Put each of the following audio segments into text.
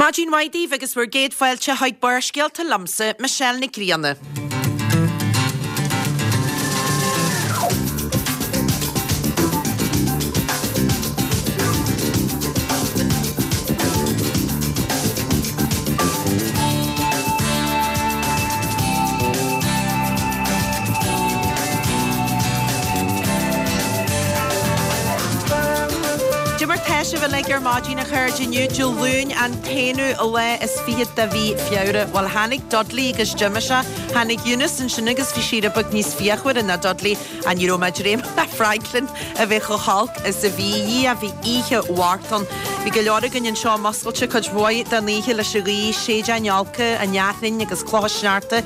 Maidin mhaith daoibh agus bhur gcéad fáilte chuig Barrscéalta liomsa, Michelle Nic Grianna. Cad é mar tá sibh uilig ar maidin a chairde inniu Dé Luain an t-aonú lá is fichead de mhí Feabhra. Bhuel tháinig Dudley agus d'imigh sé. Tháinig Eunice ansin agus bhí sí rud beag níos fíochmhaire ná Dudley ach ní raibh mé ag dréim le Franklin a bheith chomh holc is a bhí. Dhia bhí oíche mhart ann. Bhí go leor againn anseo muscailte cuid mhaith den oíche leis an ghaoth, séideáin olca, an fhearthainn agus clocha sneachta,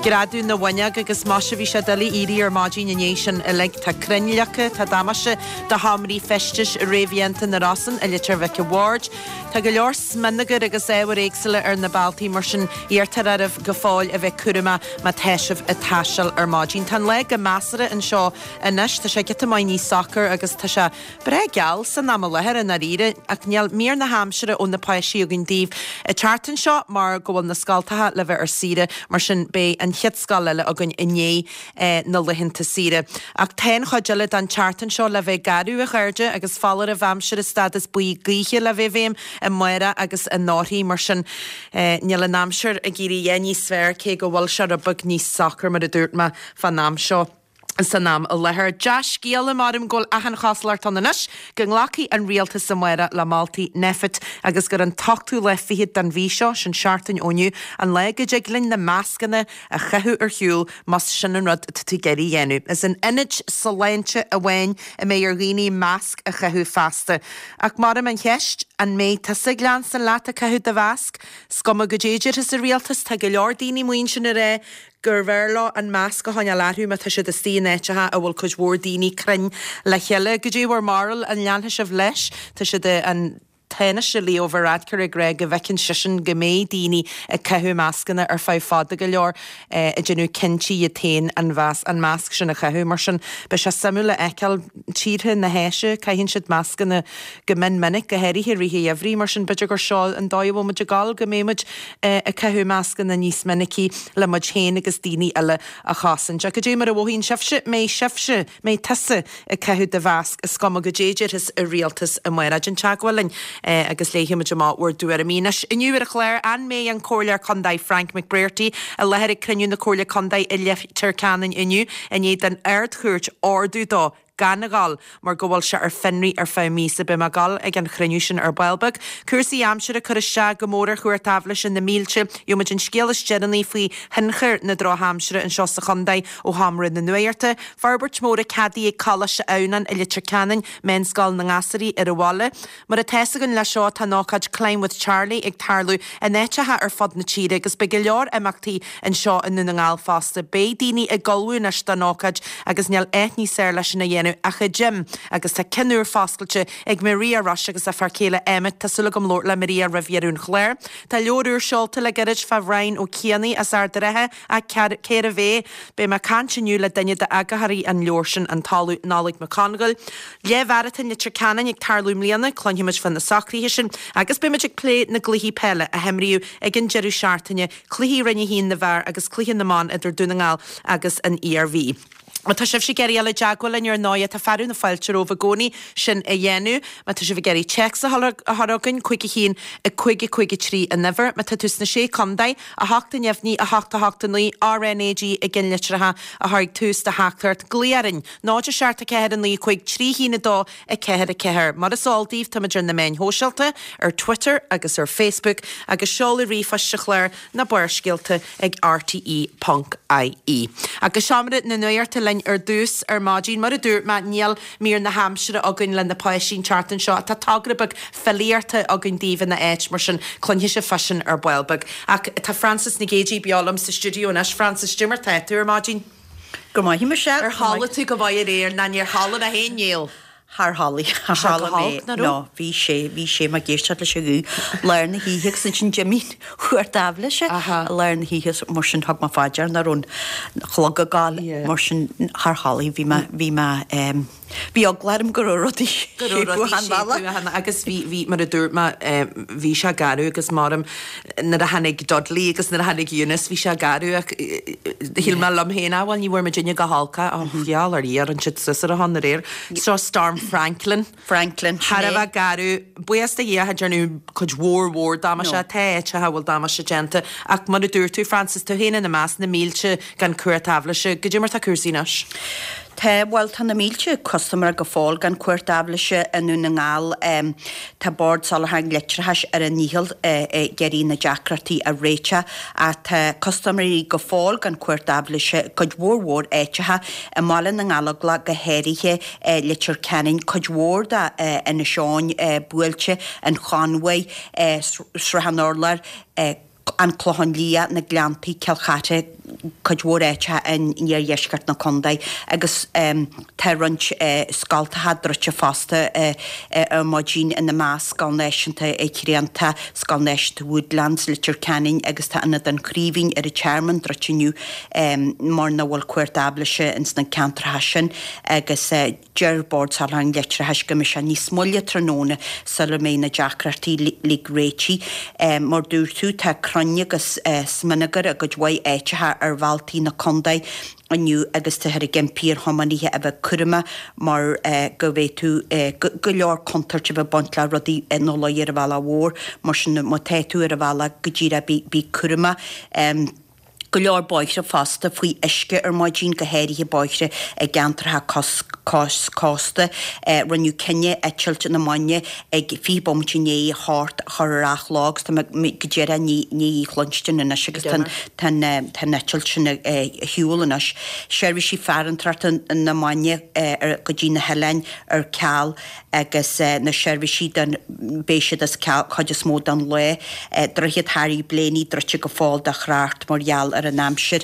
greadadh na bhfuinneog agus muise bhí sé doiligh éirí ar maidin i ndiaidh sin uilig. Tá crainn leagtha, tá damáiste do sheomraí feistis réamhdhéanta na Rosann i Leitir Mhic a' Bhaird. Tá go leor smionagair agus ábhair éagsúla ar na bealtaí, mar sin iarrtar oraibh go fóill a bheith cúramach má tá sibh ag taisteal ar maidin. Tá an lá go measartha anseo anois, tá sé giota maith níos socair agus tá sé breá geal san am i láthair i ndáiríre, ach níl mír na haimsire ó na páistí againn daoibh an tseachtain seo mar go bhfuil na scoltacha le bheith ar saoire, mar sin beidh an chéad scoil eile againn i ndiaidh na laethanta saoire. Ach tá an chuid eile den tseachtain seo le bheith garbh, a chairde, agus foláireamh aimsire stádas buí gaoithe le bheith i bhfeidhm amárach agus anórthaidh. Mar sin, níl an aimsir ag éirí a dhath níos fearr, cé go bhfuil sé rud beag níos socair, mar a dúirt mé, fán am seo. San am i láthair. Dea-scéala, maram go bhfuil achan chosúlacht ann anois go nglacfaidh an rialtas amárach le moltaí Nphet agus gur an t-ochtú lá fichead den mhí seo, sin seachtain ó inniu, an lá go dtig linn na mascanna a chaitheamh ar shiúl más sin an rud atá tú ag iarraidh a dhéanamh. Is in ionaid sláinte amháin a mbeidh ar dhaoine masc a chaitheamh feasta. Ach maram an cheist, an mbeidh tusa ag leanstan leat ag caitheamh do mhasc? 'S cuma goidé a déarfas an rialtas, tá go leor daoine amuigh ansin ag rá gurbh fhearr leo an masc a choinneáil orthu má tá siad istigh in áiteacha a bhfuil cuid mhór daoine cruinn le chéile. Goidé bhur mbarúil, an leanfaidh sibh leis? Tá siad an. Tánaiste Leo Varadkar ag rá go bhfeiceann seisean go mbeidh daoine ag caitheamh mascanna ar feadh fada go leor, ag déanamh cinntí iad féin an an masc sin a chaitheamh. Mar sin, beidh sé suimiúil a fheiceáil. Tíortha na hÁise, caitheann siad mascanna go mion minic, go háirithe i rith an gheimhridh. Mar sin, b'fhéidir gur seo an dóigh a bhfuil muid ag dul, go mbeidh muid ag caitheamh mascanna níos minicí le muid féin agus daoine eile a chosaint. Ach goidé mar a mhothaíonn sibhse? Mbeidh sibhse? Mbeidh tusa ag caitheamh do mhasc is cuma goidé a déarfas an rialtas amárach. Déan teagmháil linn agus léifidh muid amach bhur dtuairimí. Anois, inniu ar an chlár, an mbeidh an Comhairleoir Contae Frank McBrearty i láthair ag cruinniú na Comhairle Contae i Leitir Ceanainn inniu i ndiaidh don Ard-Chúirt ordú dó gan a dhul mar go bhfuil sé ar fionraí ar feadh míosa. Beidh mé ag dul ag an chruinniú sin ar ball beag. Cúrsaí aimsire ag cur isteach go mór ar Chúirt Aibhléise na mílte. Gheobhaimid an scéal is deireanaí faoi thionchar na drochaimsire anseo sa chontae ó Sheomra na Nuachta. Forbairt mhór ceadaithe ag Coláiste Adhamhnáin i Leitir Ceanainn, meánscoil na ngasúraí ar an bhaile. Mar atá fhios againn leis seo tá an ócáid Climb with Charlie ag tarlú in áiteacha ar fud na tíre agus beidh go leor imeachtaí anseo i nDún na nGall fosta. Beidh daoine ag ullmhú anois don ócáid agus níl áit níos fearr leis sin a dhéanamh ach i gym agus tá ceann úr foscailte ag Maria Rush agus a fear céile Emmet. Tá súil agam labhairt le Maria roimh dheireadh an chláir. Tá leabhar úr seolta le gairid fá Bhrian Ó Cianaigh as Ard an Rátha Ach cérbh é? Beidh mé ag caint inniu le duine d'eagarthóirí an leabhair sin, an tOllamh Nollaig Mac Congail. Leathmharatón Leitir Ceanainn ag tarlú i mbliana, cluinfimid fá na socruithe sin agus beidh muid ag plé na gcluichí peile a himríodh ag an deireadh seachtaine, cluichí Roinn 1 na bhfear agus cluiche na mban idir Dún na nGall agus an Iarmhí. Má tá sibhse ag iarraidh dul i dteagmháil linn ar ndóigh, tá fearadh na fáilte romhaibh i gcónaí sin a dhéanamh. Má tá sibh ag iarraidh téacs a chur chugainn, 5 1 5 5 3 an uimhir. Má tá tú sna Sé Contae, 8 neamhní, 8 8 9, RnaG i gceannlitreacha a chur ag tús do theachtaireacht. Glaoigh orainn, 0 7 4 9 5 3 1 2 4 4. Mar is eol daoibh, táimid ar na meáin shóisialta, ar Twitter agus ar Facebook, agus seoladh ríomhphoist an chláir na Barrscéalta ag rte ponc ie. Agus seomra na nuachta linn ar dtús ar maidin. Mar a dúirt mé, níl mír na haimsire againn le na páistí an tseachtain seo ach tá togra beag filíochta againn daoibh ina áit, mar sin cluinfidh sibh fá sin ar ball beag. Ach tá Frances Nic Géadaigh beo liom sa stiúideo anois. Frances, cad é mar tá tú ar maidin? Go maith, Michelle. Ar chodlaigh tú go maith aréir? Ná níor chodlaigh mé féin, níl. Char chodlaigh, char chodlaigh mé, no, bhí sé, bhí sé mé ag éisteacht leis an ghuth lár na hoíche agus ansin d'imigh an chúirt aibhléise i lár na hoíche mar sin thug mé fá dear nach raibh an clog ag gabháil mar sin char chodlaigh, bhí mé, bhí mé. Bhí eagla orm go raibh rudaí Go raibh rudaí achan bhealach. séipthe agus bhí, bhí, mar a dúirt mé, bhí sé garbh agus maram nuair a tháinig Dudley agus nuair a tháinig Eunice bhí sé garbh ach shíl mé liom féin, ah bhuel ní bhfuair muidinne go holc é, oh gheall ar Dhia rinne siad suas ar a shon aréir. So Storm Franklin. Franklin, sin Thar a é. bheith garbh. Buíochas do Dhia cha dearnadh cuid mhór mhór damáiste. No. Tá áiteacha a bhfuil damáiste déanta ach mar a dúirt tú, Frances, tú féin ina measc, na mílte gan cumhacht aibhléise. Goidé mar tá cúrsaí anois? Tá, bhuel tá na mílte custaiméir go fóill gan cumhacht aibhléise i nDún na nGall. Tá Bord Soláthair an Leictreachais ar a ndícheall ag iarraidh na deacrachtaí a réiteach ach tá custaiméirí go fóill gan cumhacht aibhléise i gcuid mhór mhór áiteacha, i mBaile na nGallóglach go háirithe, Leitir Ceanainn, cuid mhór de Inis Eoghain buailte, an Chonmhaigh, Srath an Urláir, An Clochán Liath, na Gleanntaí, Cill Chartha, cuid mhór áiteacha in iardheisceart na contae agus tá roinnt scoltacha druidte fosta ar maidin, ina measc Scoil Náisiúnta Chrianta, Scoil Náisiúnta Woodlands, Leitir Ceanainn agus tá Ionad an Chraoibhín ar an Tearmann druidte inniu mar nach bhfuil cumhacht aibhléise ins na ceantracha sin agus Deir Bord Soláthair an Leictreachais go mbeidh sé níos moille tráthnóna sula mbeidh na deacrachtaí uilig réitithe. Mar dúirt tú, tá crainn agus smionagar i gcuid mhaith áiteacha ar bhealtaí na contae inniu agus táthar ag impí ar thiománaithe a bheith cúramach mar go bhféadfadh go leor contúirt a bheith ag baint le rudaí ina luí ar an bhealach mhór. Mar sin má tá tú ar an bhealach go díreach bí cúramach. Go leor bóithre fosta faoi uisce ar maidin, go háirithe bóithre i gceantracha cois cósta. Rinneadh cinneadh eitilt na Mainge ag 20 bomaite i ndiaidh a hocht a chur ar athló agus tá mé go díreach i ndiaidh í chluinstin anois agus tá an eitilt sin ar shiúl anois. Seirbhísí farantóireachta na Mainge go dtí na hoileáin ar ceal. agus na seirbhísí don beidh siad as ceal chuid is mó den lá. Droichead Harry Blaney druidte go fóill do thrácht mar gheall ar an aimsir.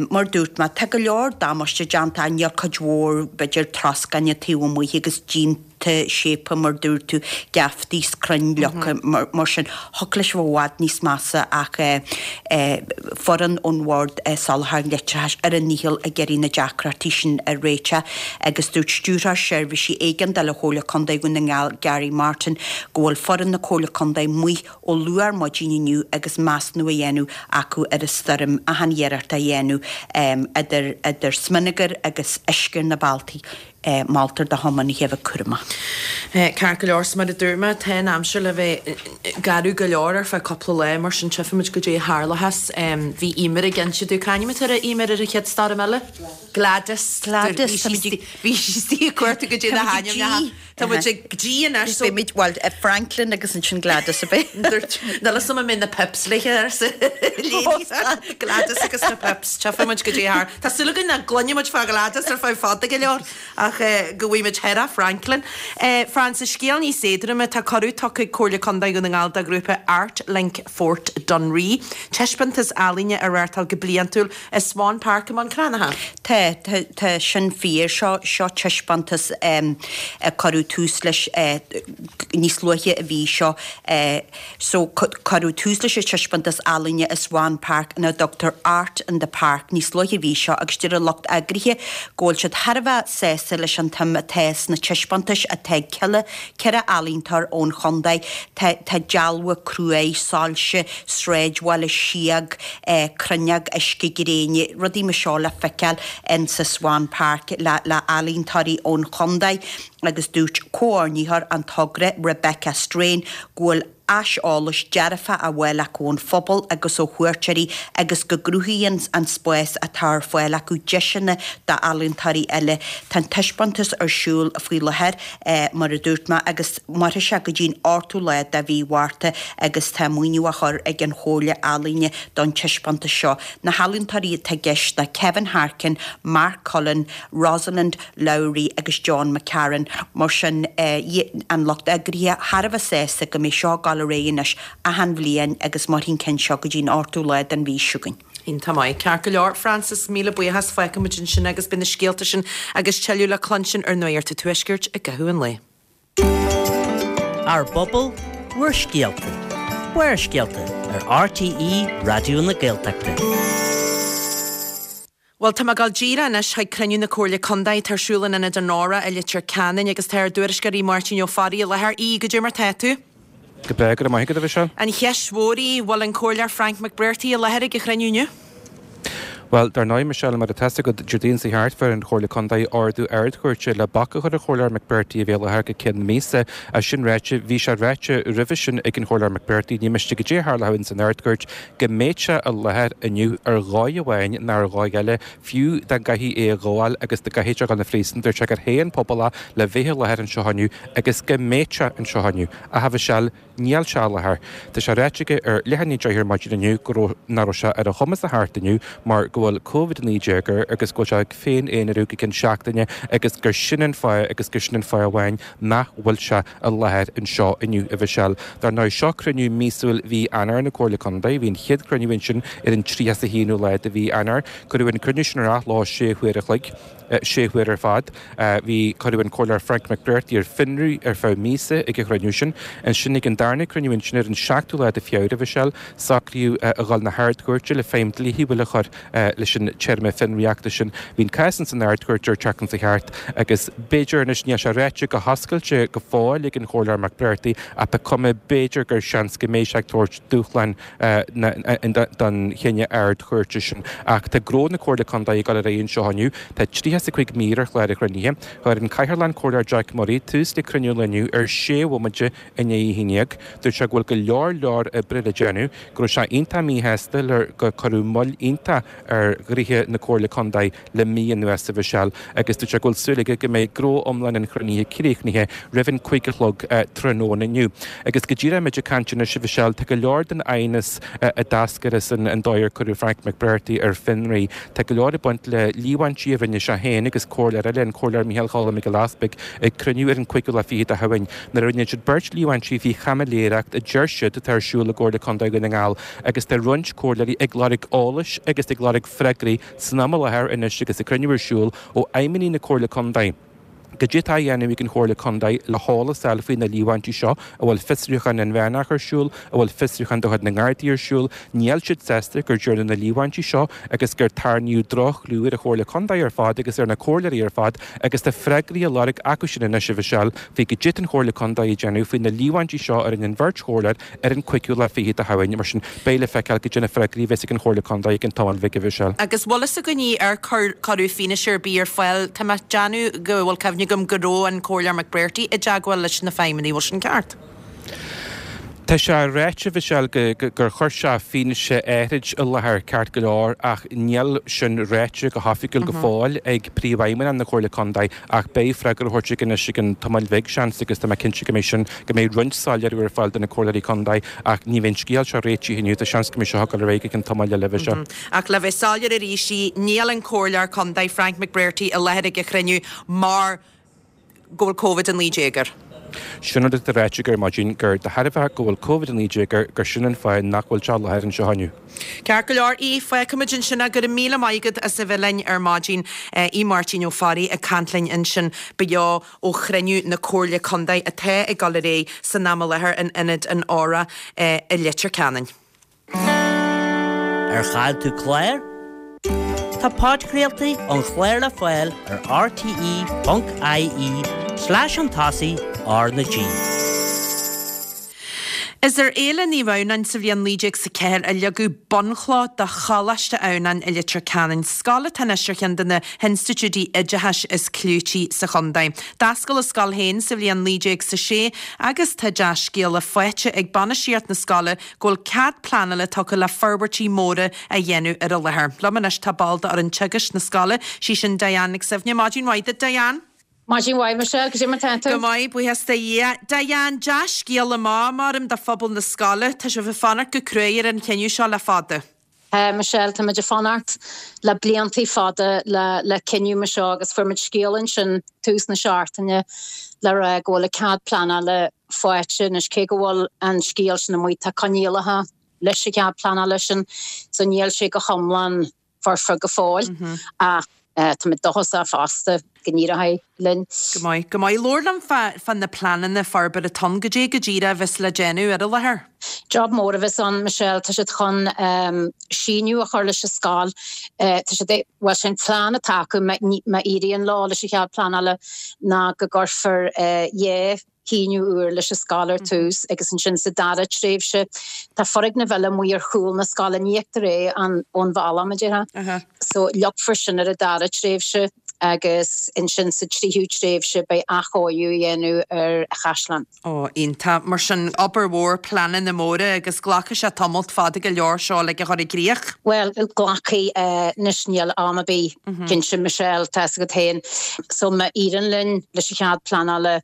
Mar dúirt mé, tá go leor damáiste déanta ach níl cuid mhór, b'fhéidir troscáin taobh amuigh agus díonta séipthe mar dúirt tú, geaftaí 's crainn leagtha mar sin. Thiocfadh leis a bheith i bhfad níos measa ach foireann ón Bhord Soláthair Leictreachais ar a ndícheall ag iarraidh na deacrachtaí sin a réiteach agus dúirt Stiúrthóir Seirbhísí Éigeandála Chomhairle Contae Dhún na nGall Gary Martin go bhfuil foireann na Comhairle Contae amuigh ó luath ar maidin inniu agus measúnú á dhéanamh acu ar an stoirm, achan iarracht á dhéanamh idir idir smionagar agus uisce ar na bealtaí. Moltar do thiománaithe a bheith cúramach. Ceart go leor, so mar a dúirt mé, tá an aimsir le bheith garbh go leor ar feadh cúpla lá, mar sin tchífimid goidé a tharlóchas. Bhí Eimear ag inse domh, c'ainm atá uirthi, Eimear, ar an chéad stoirm eile? Gladys. Gladys, tá muid ag. Bhí sí istigh ag cuartú goidé na hainmneacha. Tá muid ag G anois so. Beimid, bhuel, Franklin agus ansin Gladys a bheidh. Dúirt, níl 'fhios a'm an mbeidh na Pips léithe arsa Léi. Gladys agus na Pips, tchífidh muid goidé a thar. Tá súil againn nach gcluinfidh muid fá Ghladys ar feadh fada go leor ach go bhfaighidh muid thoir Franklin. Frances, scéal níos éadroime, tá cuireadh tugtha ag Comhairle Contae Dhún na nGall do ghrúpa Art Link Phort Dunree taispeántas ealaíne a reáchtáil go bliantúil i Swan Park i mBun Cranncha. Tá, tá, tá sin fíor. Seo, seo taispeántas a cuireadh tús leis níos luaithe an mhí seo. So, cuireadh tús leis an taispeántas ealaíne i Swan Park ina dtugtar Art in the Park níos luaithe an mhí seo agus deir an lucht eagraithe go bhfuil siad thar a bheith sásta leis an tsuim atá sna taispeántais atá ag 14 ealaíontóir ón chontae. Tá, tá dealbha cruaidh, soilse, sráidbhaile, síog, cruinneog uisce gréine, rudaí mar seo le feiceáil in sa Swan Park le le ealaíontóirí ón chontae agus dúirt comhordaitheoir an togra Rebecca Strain go bhfuil aiseolas dearfach á fháil acu ón phobal agus ó chuairteoirí agus go gcruthaíonn an spás atá ar fáil acu deiseanna d'ealaíontóirí eile. Tá an taispeántas ar siúl faoi láthair. mar a dúirt mé, agus mairfidh sé go dtí'n 8ú lá de mhí Mhárta agus tá maoiniú á chur ag an Chomhairle Ealaíne don taispeántas seo. Na healaíontóirí atá i gceist ná Kevin Harkin, Mark Cullen, Rosalind Lowry agus John McCarron. Mar sin, an lucht eagraithe thar a bheith sásta go mbeidh seo ag dul ar aghaidh anois achan bhliain agus mairfidh an ceann seo go dtí'n 8ú lá den mhí seo chugainn. Iontach maith. Ceart go leor, Frances, míle buíochas. Fágfaidh muid ansin agus beidh na scéalta sin agus tuilleadh le cluinstin ar Nuacht an Tuaiscirt i gcaitheamh an lae. Ár bpobal, bhur scéalta. Barrscéalta ar RTÉ Raidió na Gaeltachta. Bhuel, tá mé ag dul díreach anois chuig cruinniú na Comhairle Contae atá ar siúl in Ionad an Óra i Leitir Ceanainn agus tá ár dtuairisceoir Máirtín Ó Fearraigh i láthair. Aodh, goidé mar tá tú? Go breá, go raibh maith agat, a Mhichelle. An cheist mhór í, bhfuil an Comhairleoir Frank McBrearty i láthair ag an chruinniú inniu? Bhuel, dar ndóigh, Michelle, mar atá 'fhios agat, Déardaoin seo thart fuair an Chomhairle Contae ordú Ard-Chúirte le bac a chur ar Chomhairleoir McBrearty a bheith i láthair go ceann míosa. É sin ráite, bhí sé ráite roimhe sin ag an Chomhairleoir McBrearty, ní miste goidé a tharlódh ins an Ard-Chúirt, go mbeadh sé i láthair inniu ar dhóigh amháin nó ar dhóigh eile, fiú dá gcaithfí é a ghabháil agus dá gcaithfeadh sé a dhul 'na phríosún. Dúirt sé gur thuig an pobal é le bheith i láthair anseo inniu agus go mbeadh sé anseo inniu. Ach a Mhichelle, níl sé i láthair. Tá sé ráite aige ar leath i ndiaidh 10 ar maidin inniu go raibh, nach raibh sé ar a chumas a theacht inniu mar go bhfuil Covid-19 air agus go bhfuil sé ag féin-aonarú go ceann seachtaine agus gur sin an fáth agus gur sin an fáth amháin nach bhfuil sé i láthair anseo inniu, a Mhichelle. Dar ndóigh, seo cruinniú míosúil mhí Eanáir na Comhairle Contae. Bhí an chéad chruinniú ansin ar an 31ú lá de mhí Eanáir. Cuireadh an cruinniú sin ar athló sé huaire a chloig, sé huaire ar fad. Bhí, cuireadh an Comhairleoir Frank McBrearty ar fionraí ar feadh míosa ag an chruinniú sin. Ansin ag an darna cruinniú ansin ar an seachtú lá de Feabhra, a Mhichelle, socraíodh a dhul na hArd-Chúirte le feidhm dlíthiúil a chur leis an téarma fionraíochta sin. Bhí an cás ins an Ard-Chúirt an tseachtain seo thart agus b'fhéidir anois, níl sé ráite go hoscailte go fóill ag an Chomhairleoir McBrearty ach tá cuma b'fhéidir gur seans go mbeidh sé ag tabhairt dúshlán don chinneadh Ard-Chúirte sin. Ach tá gnó na Comhairle Contae ag dul ar aghaidh anseo inniu. Tá 35 mír ar chlár an chruinnithe. Chuir an Cathaoirleach, an Comhairleoir Jack Murray, tús le cruinniú an lae inniu ar sé bhomaite i ndiaidh a haon déag. Dúirt sé go bhfuil go leor leor oibre le déanamh, go raibh sé iontach míshásta le gur cuireadh moill iontach ar ghnoithe na Comhairle Contae le mí anuas, a Mhichelle, agus dúirt sé go bhfuil súil aige go mbeidh gnó iomlán an chruinnithe críochnaithe roimh an 5 a chlog tráthnóna inniu. Agus go díreach muid ag caint anois, a Mhichelle, tá go leor den aighneas a d'eascair as an dóigh ar cuireadh Frank McBrearty ar fionraí. Tá go leor ag baint le líomhaintí a rinne sé féin agus comhairleoir eile, an Comhairleoir Micheál Choilm Mac Giolla Easpaig, ag cruinniú ar an 25ú lá de Shamhain. Nuair a rinne siad beirt líomhaintí faoi chaimiléireacht a deir siad atá ar siúl i gComhairle Contae Dhún na nGall agus tá roinnt comhairleoirí ag lorg eolais agus ag lorg freagraí san am i láthair anois agus an cruinniú ar siúl ó fheidhmeannaigh na Comhairle Contae. Goidé atá á dhéanamh ag an Chomhairle Contae le heolas a fháil faoi na líomhaintí seo, an bhfuil fiosrúchán inmheánach ar siúl, an bhfuil fiosrúchán de chuid na nGardaí ar siúl? Níl siad sásta gur dearnadh na líomhaintí seo agus gur tarraingíodh droch-chlú ar an Chomhairle Contae ar fad agus ar na comhairleoirí ar fad agus tá freagraí á lorg acu sin anois, a Mhichelle, faoi goidé atá an Chomhairle Contae ag déanamh faoi na líomhaintí seo a rinne an bheirt chomhairleoir ar an 25ú lá de Shamhain. Mar sin, beidh le feiceáil goidé na freagraí a bheas ag an Chomhairle Contae i gceann tamaill bhig, a Mhichelle. Agus bhfuil fhios againn ar cuireadh fianaise ar bith ar fáil? Tá mé ag déanamh go bhfuil cuimhne agam go raibh an Comhairleoir McBrearty i dteagmháil leis na feidhmeannaigh, bhfuil sin ceart? Tá sé ráite, a Mhichelle, gur chuir sé fianaise áithrid i láthair, ceart go leor, ach níl sin ráite go hoifigiúil go fóill ag Príomhfheidhmeannach na Comhairle Contae ach beidh freagra á thabhairt aige anois i gceann tamaill bhig, seans, agus tá mé cinnte go mbeidh sin, go mbeidh roinnt soiléiriú ar fáil do na Comhairleoirí Contae ach ní bheidh an scéal seo réitithe inniu, tá seans go mbeidh seo ag dul ar aghaidh go ceann tamaill eile, a Mhichelle. Ach le bheith soiléir arís, níl an Comhairleoir Contae Frank McBrearty i láthair ag an chruinniú mar go bhfuil Covid-19 air. Sin rud atá ráite aige ar maidin, gur de thairbhe go bhfuil Covid-19 air, gur sin an fáth nach bhfuil sé i láthair anseo inniu. Ceart go leor, Aodh, fágfaimid ansin é. Go raibh míle maith agat as a bheith linn ar maidin. Aodh Máirtín Ó Fearraigh ag caint linn ansin beo ó chruinniú na Comhairle Contae atá ag dul ar aghaidh san am i láthair in Ionad an Óra i Leitir Ceanainn. Ar chaill tú clár? Tá podchraoltaí an chláir le fáil ar rte.ie slash chun tosaigh R na G. Is ar Fhéile Naomh Adhamhnáin sa bhliain 1904 a leagadh bunchloch do Choláiste Adhamhnáin i Leitir Ceanainn, scoil atá anois ar cheann de na hinstitiúidí oideachais is clúití sa chontae. D'oscail an scoil féin sa bhliain 1906 agus tá dea-scéala faighte ag bainistíocht na scoile go bhfuil cead pleanála tugtha le forbairtí móra a dhéanamh ar an láthair. Liom anois tá ball d'fhoireann teagaisc na scoile, sí sin Diane Nic Suibhne. Maidin mhaith duit, Diane. Maidin mhaith, Michelle. Cad é mar tá tú? Go maith, buíochas do Dhia. Diane, dea-scéala maith, maram, do phobal na scoile. Tá sibh ag fanacht go cruaidh ar an chinneadh seo le fada. Tá, Michelle, tá muid ag fanacht le bliantaí fada le le cinneadh mar seo agus fuair muid scéala ansin tús na seachtaine le rá go bhfuil an cead pleanála faighte anois cé go bhfuil an scéal sin amuigh tá coinníollacha leis an chead pleanála sin so níl sé go hiomlán foirfe go fóill ach. Táimid dóchasach fosta go n-éireoidh linn. Go maith, go maith. Labhair liom fá, fá na pleananna forbartha atá ann, goidé go díreach a bheas le déanamh ar an láthair. Job mór a bheas ann, Michelle. Tá siad chun síneadh a chur leis an scoil. Tá siad ag, bhuel, sé an plean atá acu má éiríonn leo leis an chead pleanála ná go gcuirfear 2 shíneadh úr leis an scoil ar tús agus ansin sa dara tréimhse tá foirgneamh eile amuigh ar chúl na scoile, ní fheictear é ón bhealach, mar a déarfá. So leagfar sin ar an dara tréimhse agus ansin sa tríú tréimhse beidh athchóiriú á dhéanamh ar an chaisleán. Ó, iontach. Mar sin, obair mhór, pleananna móra agus glacfaidh sé tamalt fada go leor seo uilig a chur i gcrích. Bhuel, glacfaidh. Anois níl am ar bith cinnte, Michelle, tá fhios agat féin. So má éiríonn linn leis an chead pleanála,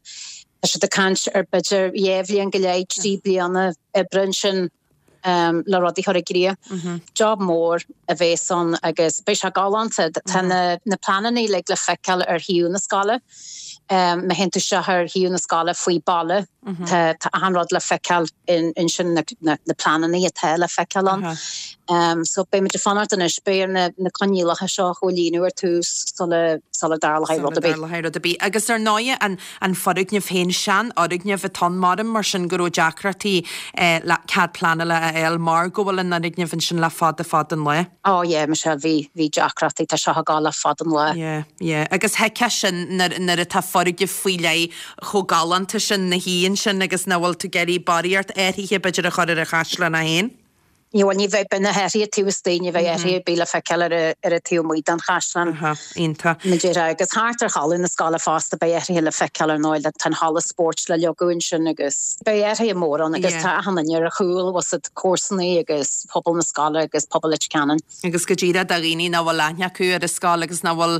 tá siad ag caint ar b'fhéidir dhá bhliain go leith, 3 bliana oibre ansin le rudaí a chur i gcrích. Job mór a bhéas ann agus beidh sé galánta. Tá na pleananna uilig le feiceáil ar shuíomh na scoile. Má théann tú isteach ar shuíomh na scoile faoi baile, tá achan rud le feiceáil ansin, na pleananna atá le feiceáil ann. So beidh muid ag fanacht anois, beidh ar na coinníollacha seo a chomhlíonadh ar tús sula sula dtarlóidh rud ar bith. Sula dtarlóidh rud ar bith. Agus ar ndóighe an an foirgneamh féin, seanfhoirgneamh atá ann, maram mar sin go raibh deacrachtaí le cead pleanála a fháil mar go bhfuil an fhoirgneamh ansin le fada fada an lá. Oh yeah Michelle, bhí, bhí deacrachtaí, tá seo ag gabháil le fada an lá. Yeah, yeah. Agus thuigfeá sin nuair, nuair atá foirgneamh faoi leith chomh galánta sin 'na shuí ansin agus nach bhfuil tú ag iarraidh barraíocht athraithe b'fhéidir a chur ar an chaisleán é féin. Ní, bhuel, ní bheidh, beidh na hathruithe taobh istigh, ní bheidh athruithe ar bith le feiceáil ar an, ar an taobh amuigh den chaisleán. Aha, iontach. Mar a déarfá, agus thart ar thalamh na scoile fosta, beidh athruithe le feiceáil ar ndóigh, tá an halla spóirt le leagadh ansin agus beidh athruithe móra ann agus tá achan duine ar a chúl, bhfuil 's a'd, comharsanaí agus pobal na scoile agus pobal Leitir Ceanainn. Agus go díreach do dhaoine nach bhfuil aithne acu ar an scoil agus nach bhfuil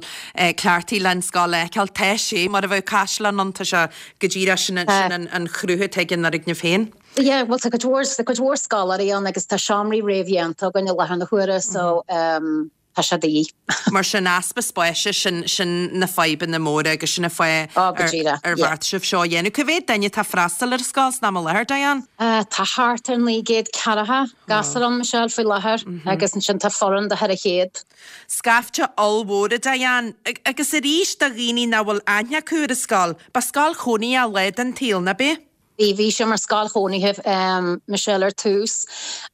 cleachtaithe leis an scoil a fheiceáil, tá sé mar a bheadh caisleán ann, tá sé go díreach sin an chruth atá ag an fhoirgneamh féin. Yeah, bhuel tá cuid mhór, tá cuid mhór scoláirí ann agus tá seomraí réamhdhéanta againn i láthair na huaire so tá sé de dhíth. Mar sin, easpa spáis, sin, sin na fadhbanna móra agus sin an fáth Oh, go díreach, ar yeah. bheartaigh sibh seo a dhéanamh. Cá mhéad duine atá ag freastal ar an scoil san am i láthair, Diane? Tá thart ar 900 ceathracha gasúr ann, Michelle, faoi láthair agus ansin tá foireann de 400. Scaifte ollmhór, a Diane. Agus arís, do dhaoine nach bhfuil aithne acu ar an scoil, ba scoil chónaithe lá den tsaol, nach b'ea? Bhí, bhí sé mar scoil chónaithe, Michelle, ar tús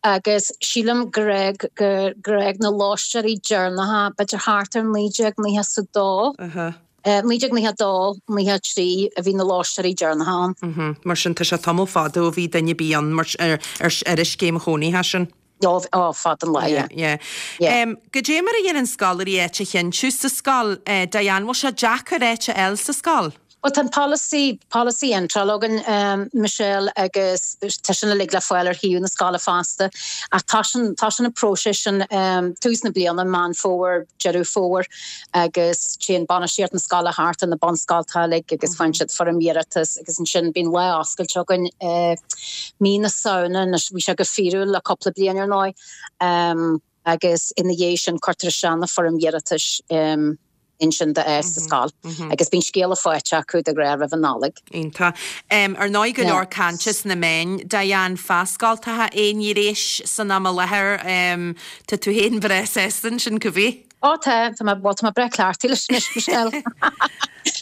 agus sílim gur fhág, gur fhág na lóistéirí deireanacha b'fhéidir thart ar 1992, 1992, 93 a bhí na lóistéirí deireanacha ann. Mar sin tá sé tamall fada ó bhí duine ar bith ann mar, ar, ar, ar an scéim chónaithe sin. Ó, ó, fada an lá, yeah. Yeah, yeah. Goidé mar a dhéanann scoláirí áit a chinntiú sa scoil, Diane, bhfuil sé deacair áit a fháil sa scoil? Bhuel, tá an polasaí, polasaí iontrála againn, Michelle, agus tá sin uilig le fáil ar shuíomh na scoile fosta. Ach tosaíonn, tosaíonn an próiseas sin tús na bliana, Meán Fómhair, Deireadh Fómhair, agus téann bainistíocht na scoile thart ar na bunscoltacha uilig agus faigheann siad foirm iarratais agus ansin bíonn lá oscailte againn i mí na Samhna, anois bhí sé go fíorúil le cúpla bliain ar ndóigh, agus ina dhiaidh sin cuirtear isteach na foirm iarratais ansin d'áit sa scoil agus bíonn scéala faighte acu de ghnáth roimh an Nollaig. Iontach. Ar ndóigh go leor cainte sna meáin, Diane, fá scoltacha aon ghnéis san am i láthair. Tá tú féin breá sásta ansin, cibé? Ó tá, tá mé, bhuel tá mé breá cleachtaithe leis anois, Michelle.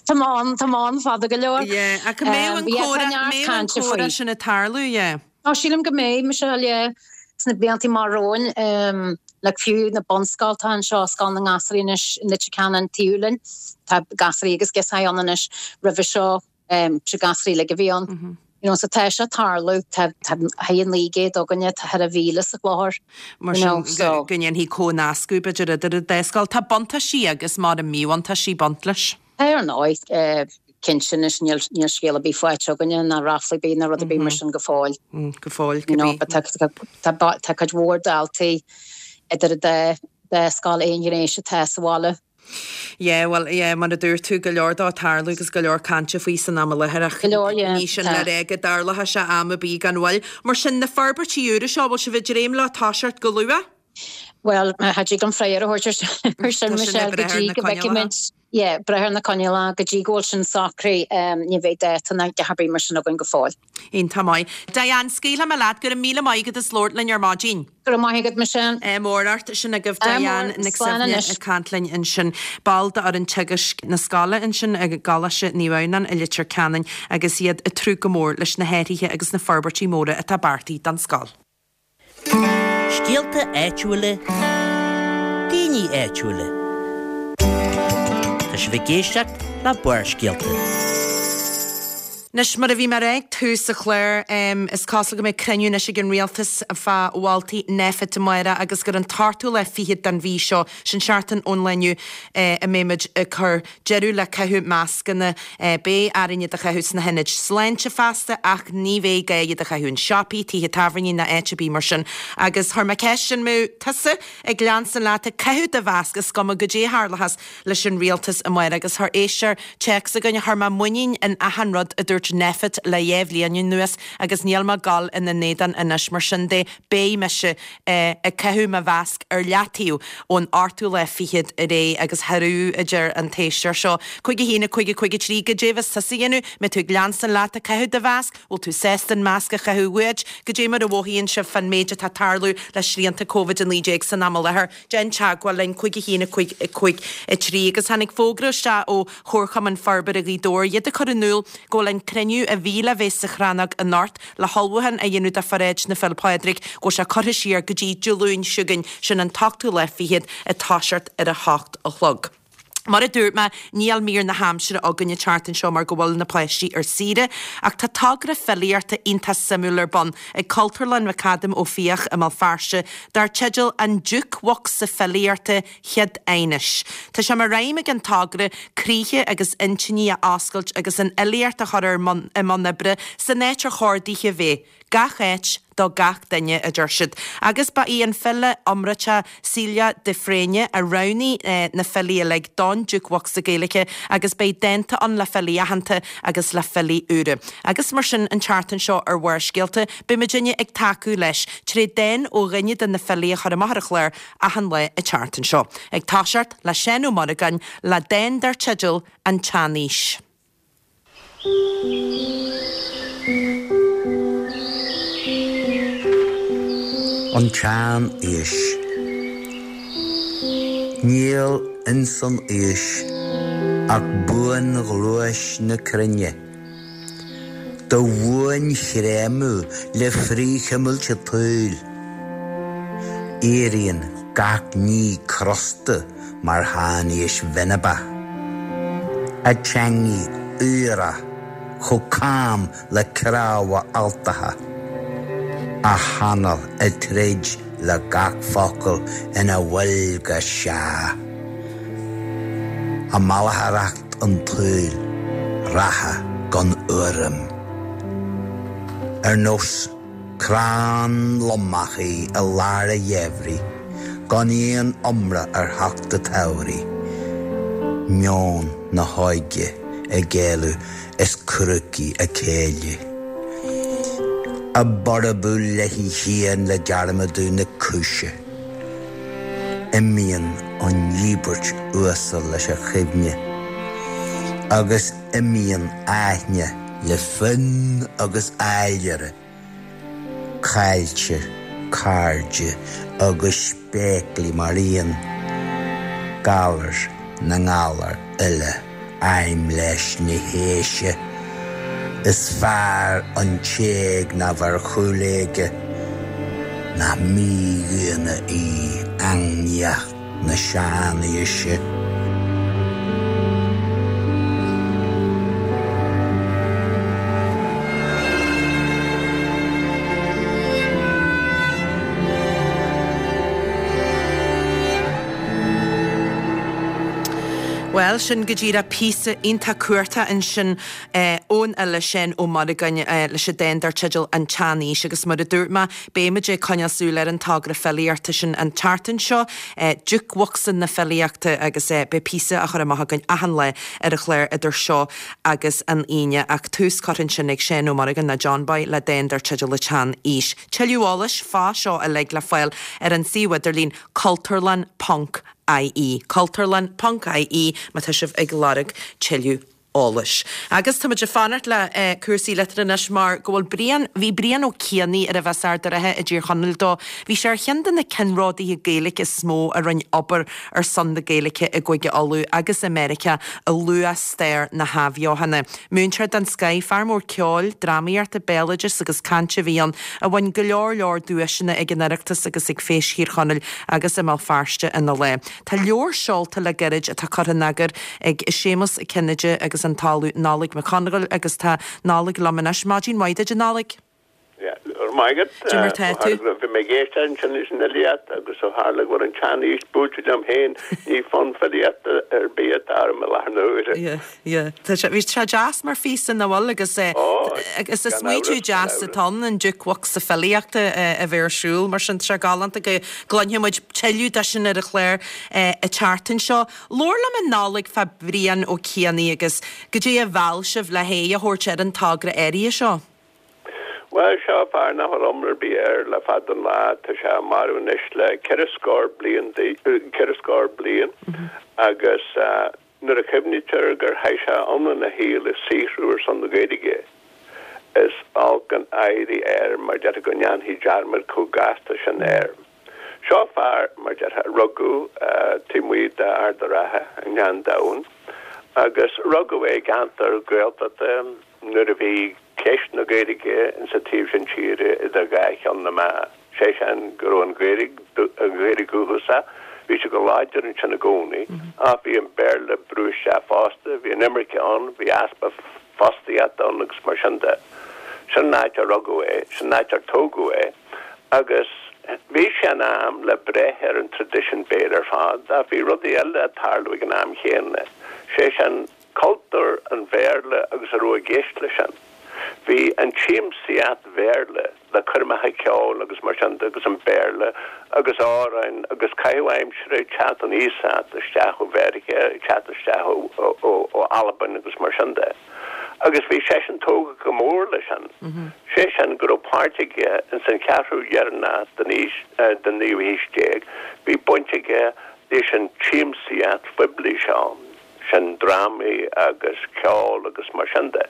Tá mé ann, tá mé ann fada go leor. Yeah, ach go mbeadh an comhrá, mbeadh an comhrá sin ag tarlú, yeah. Ó sílim go mbeidh, Michelle, yeah. Sna blianta amach romhainn, um, like fiú na bunscoltacha anseo, Scoil na nGasraí anois i Leitir Ceanainn taobh linn, tá gasraí agus girseachaí ann anois, roimhe seo, sé gasraí uilig a bhí ann. You know, so tá sé ag tarlú, tá tá thar 900 againne, tá thar 1,000 sa chlóthar. Mar sin go go ndéanfaí comhnascadh b'fhéidir idir an dá scoil. Tá buntáistí agus mar míbhuntáistí ag baint leis. Tá ar ndóigh, cinnte anois níl níl scéal ar bith faighte againne ná ráflaí ar bith ná rud ar bith mar sin go fóill. Go fóill, You know, but tá tá tá cuid mhór daltaí idir an dá dá scoil aon ghnéis atá sa bhaile. Yeah, bhuel, yeah, mar a dúirt tú, go leor dó ag tarlú agus go leor cainte faoi san am i láthair ach Go leor, yeah, ní sin le tá. rá go dtarlóidh sé am ar bith gan mhoill. Mar sin, na forbairtí úra seo, bhfuil sibh ag dréim leo toiseacht go luath? Bhuel, cha dtig liom freagra a thabhairt ar sin, Tá sin Michelle, ag go brath ar dtí na go coinníollacha. bhfeicfimid. Yeah, breith ar na coinníollacha, go dtí go bhfuil sin socraithe, ní bheidh dáta ná a dhath ar bith mar sin againn go fóill. Iontach maith. Diane, scaoilfidh mé leat, go raibh míle maith agat as labhairt linn ar maidin. Go raibh maith agat, Michelle. Ádh mór ort. Sin agaibh Diane Nic Suibhne ag caint linn ansin, ball d'fhoireann teagaisc na scoile ansin i gColáiste Naomh Adhamhnáin i Leitir Ceanainn agus iad ag tnúth go mór leis na hathruithe agus na forbairtí móra atá beartaithe don scoil. Scéalta áitiúla, daoine áitiúla. Tá sibh ag éisteacht le Barrscéalta. Anois, mar a bhí mé a rá ag tús an chláir, is cosúil go mbeidh cruinniú anois ag an Rialtas fá mholtaí Nphet amárach agus gur an t-ochtú lá fichead den mhí seo, sin seachtain ón lá inniu, a mbeidh muid ag cur deireadh le caitheamh mascanna. Beidh orainn iad a chaitheamh sna hionaid sláinte feasta ach ní bheidh gá iad a chaitheamh in siopaí, tithe tábhairne ná áit ar bith mar sin. Agus chuir mé ceist an mbeadh tusa ag leanstan leat ag caitheamh do mhasc is cuma goidé a tharlóchas leis an rialtas amárach agus chuir éisteoir téacs chugainn, Chuir mé muinín in achan rud a dúirt Nphet le dhéá bhliain anuas agus níl mé ag dul ina n-éadan anois mar sin de beidh mise ag caitheamh mo mhasc ar leataobh ón ochtú lá fichead ar aghaidh agus hooroo a deir an t-éisteoir seo. 5 1 5 5 3 Goidé a bheas tusa a dhéanamh? Mbeidh tú ag leanstan leat ag caitheamh do mhasc? Bhfuil tú sásta an masc a chaitheamh uait? Goidé mar a mhothaíonn sibh fán méid atá ag tarlú le srianta Covid-19 san am i láthair? Déan teagmháil linn, 5 1 5 5 3 Agus tháinig fógra isteach ó Chomharchumann Forbartha Ghaoth Dobhair, iad ag cur in iúl go bhfuil an cruinniú a bhí le bheith sa Chrannóg anocht le hullmhúchán a dhéanamh do Pharáid na Féile Pádraig, go bhfuil sé curtha siar go dtí Dé Luain seo chugainn, sin an t-ochtú lá fichead, ag toiseacht ar a hocht a chlog. Mar a dúirt mé, níl mír na haimsire againn an tseachtain seo mar go bhfuil na páistí ar saoire, ach tá togra filíochta iontach suimiúil ar bun ag Cultúrlann McAdam Ó Fiaich i mBéal Feirste dar teideal An Jukebhocsa Filíochta Chead Aighnis. Tá sé mar aidhm ag an togra croíthe agus intinní a oscailt agus an fhilíocht a chur i mbun oibre san áit ar chóir dithe bheith. Gach áit do gach duine, a deir siad. Agus ba í an file iomráiteach Celia de Fréine a roghnaigh na filí uilig don Jukebhocsa Gaeilge agus beidh dánta ann le filí aitheanta agus le filí úra. Agus mar sin an tseachtain seo ar Bharrscéalta beidh muidinne ag tacú leis tré dán ó dhuine de na filí a chur amach ar an chlár achan lá an tseachtain seo. Ag toiseacht le Seán Ó Muireagáin le dán dar teideal An tSean-Aois. An tSean-Aois. Níl ins an aois ach buanghluais na cruinne, Do bhuanchreimeadh le frithchuimilt an tsaoil. Éiríonn gach ní crosta mar shean-aois bhinibeach, A teangaidh aorach chomh cam le cnámha alltacha, A hanáil ag troid le gach focal ina bhfuil go sea. A mallaitheoireacht an tsaoil reatha gan urraim, Ar nós Crann lomach í i lár an gheimhridh, gan aon iomrá ar theacht an tsamhraidh, meon na hóige ag éalú is crúcaí a céille, ag borbú léi féin le dearmadadh na cúise. Imíonn an íobairt uasal leis an chuimhne, agus imíonn aithne le fonn agus áilire, cailltear cairde agus spéaclaí mar aon, galar na ngalar uile aimhleas na haoise, is fearr an t-éag ná bheith ar chúl éige, nach mídhaonna í eangnaíocht. na sean-aoise. Bhuel, sin go díreach píosa iontach cumhachtach ansin ón fhile Seán Ó Muireagáin leis an dán dar teideal 'An tSean-Aois' agus mar a dúirt mé, Beidh muid ag coinneáil súil ar an togra filíochta sin an tseachtain seo, Jukebhocsa na Filíochta, agus beidh píosa á chur amach againn achan lá ar an chlár idir seo agus an Aoine. Ach tús curtha ansin ag Seán Ó Muireagáin, nó John Boy, le dán dar teideal 'An tSean-Aois'. Tuilleadh eolais fá seo uilig le fáil ar an suíomh idirlín cultúrlann ponc. IE, Cultúrlann ponc IE má tá sibh ag lorg tuilleadh eolais. Agus táimid ag fanacht le cúrsaí liteartha anois mar go bhfuil Brian, bhí Brian Ó Cianaigh arbh as Ard a' Rátha i dTír Chonaill dó, bhí sé ar cheann de na ceannródaithe Gaeilge is mó a rinne obair ar son na Gaeilge i gCúige Uladh agus i Meiriceá i luath-stair na hathbheochana. Múinteoir den scoith, fear mór ceoil, drámaíochta, béaloidis agus cainte a bhí ann, a bhain go leor leor duaiseanna ag an Oireachtas agus ag Feis Thír Chonaill agus i mBéal Feirste ina leith. Tá leabhar seolta le gairid atá curtha in eagar ag Séamus Cinnéide agus an tOllamh Nollaig Mac Congáil agus tá Nollaig liom anois. Maidin mhaith duit a Nollaig. Go raibh maith agat. Cad é mar tá tú? Bhí mé ag éisteacht ansin leis an fhilíocht agus ó tharla go bhfuil an tsean-aois buailte liom féin, ní fonn filíochta ar bith atá orm i láthair na huaire. Yeah, yeah. Tá sé, bhí sé deas mar phíosa nach bhfuil agus eh, agus is smaoitiú deas atá ann an jukebox filíochta a bheith ar siúl mar sin tá sé galánta go gcluinfidh muid tuilleadh de sin ar an chlár an tseachtain seo. Labhair liom a Nollaig fá Brian Ó Cianaigh agus goidé a mheall sibh le haghaidh a thabhairt ar an togra áirithe seo. Bhuel, seo fear nach bhfuil iomrá ar bith air le fada an lá. Tá sé marbh anois le ceithre scór bliain, ceithre scór bliain agus nuair a chuimhnítear gur chaith sé iomlán a shaoil ag saothrú ar son na Gaeilge, is olc an éirí air mar déarfá go ndéanfaí dearmad chomh gasta sin air. Seo fear, mar déarfá, a rugadh taobh amuigh d'Ard a' Rátha i nGleann Domhain agus rugadh é i gceantar Gaeltachta, Nuair a bhí ceist na Gaeilge insa taobh sin tíre idir dhá cheann na meá, sé sin go raibh an Ghaeilge, an Ghaeilge dhúchasach, bhí sí go láidir ansin i gcónaí, ach bhí an Béarla ag brú isteach fosta, bhí an imirce ann, bhí easpa fostaíochta ann agus mar sin de. Sin an áit ar rugadh é, sin an áit ar tógadh é agus bhí sé in am le breith ar an traidisiún béil ar fad ach bhí rudaí eile ag tarlú ag an am chéanna, sé sin, cultúr an Bhéarla agus a raibh i gceist leis sin. Bhí an tsiamsaíocht Bhéarla le coirmeacha ceoil agus mar sin de agus an Béarla agus amhráin agus caitheamh aimsire ag teacht ón iasacht isteach ó Mheiriceá, ag teacht isteach ó Albain agus mar sin de. Agus bhí seisean tógtha go mór leis sin. Sé sin go raibh páirt aige ins an cheathrú dheireanach den aois, den naoú haois déag, bhí baint aige leis an tsiamsaíocht phoiblí seo. sin drámaí agus ceol agus mar sin de.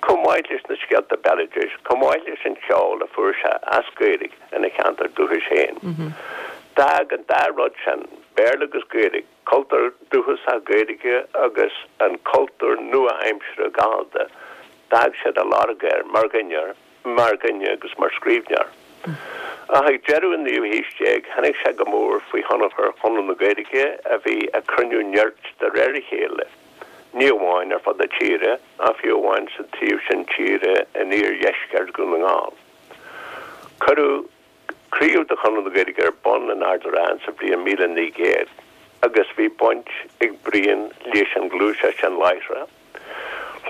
Chomh maith leis na scéalta béaloidis, chomh maith leis an cheol a fuair sé as Gaeilge ina cheantar dúchais féin. D'fhág an dá rud sin, Béarla agus Gaeilge, cultúr dúchasach Gaeilge agus an cultúr nua-aimseartha Gallda, d'fhág siad a lorg air mar dhuine. mar dhuine agus mar scríbhneoir. Ach ag deireadh an naoú haois déag tháinig sé go mór faoi thionchar Chonradh na Gaeilge a bhí ag cruinniú nirt de réir a chéile, ní amháin ar fud na tíre ach fiú amháin sa taobh sin tíre in iardheisceart Dhún na nGall. Cuireadh craobh de Chonradh na Gaeilge ar bun in Ard a' Rátha sa bhliain 1900 agus bhí baint ag Brian leis an ghluaiseacht sin láithreach.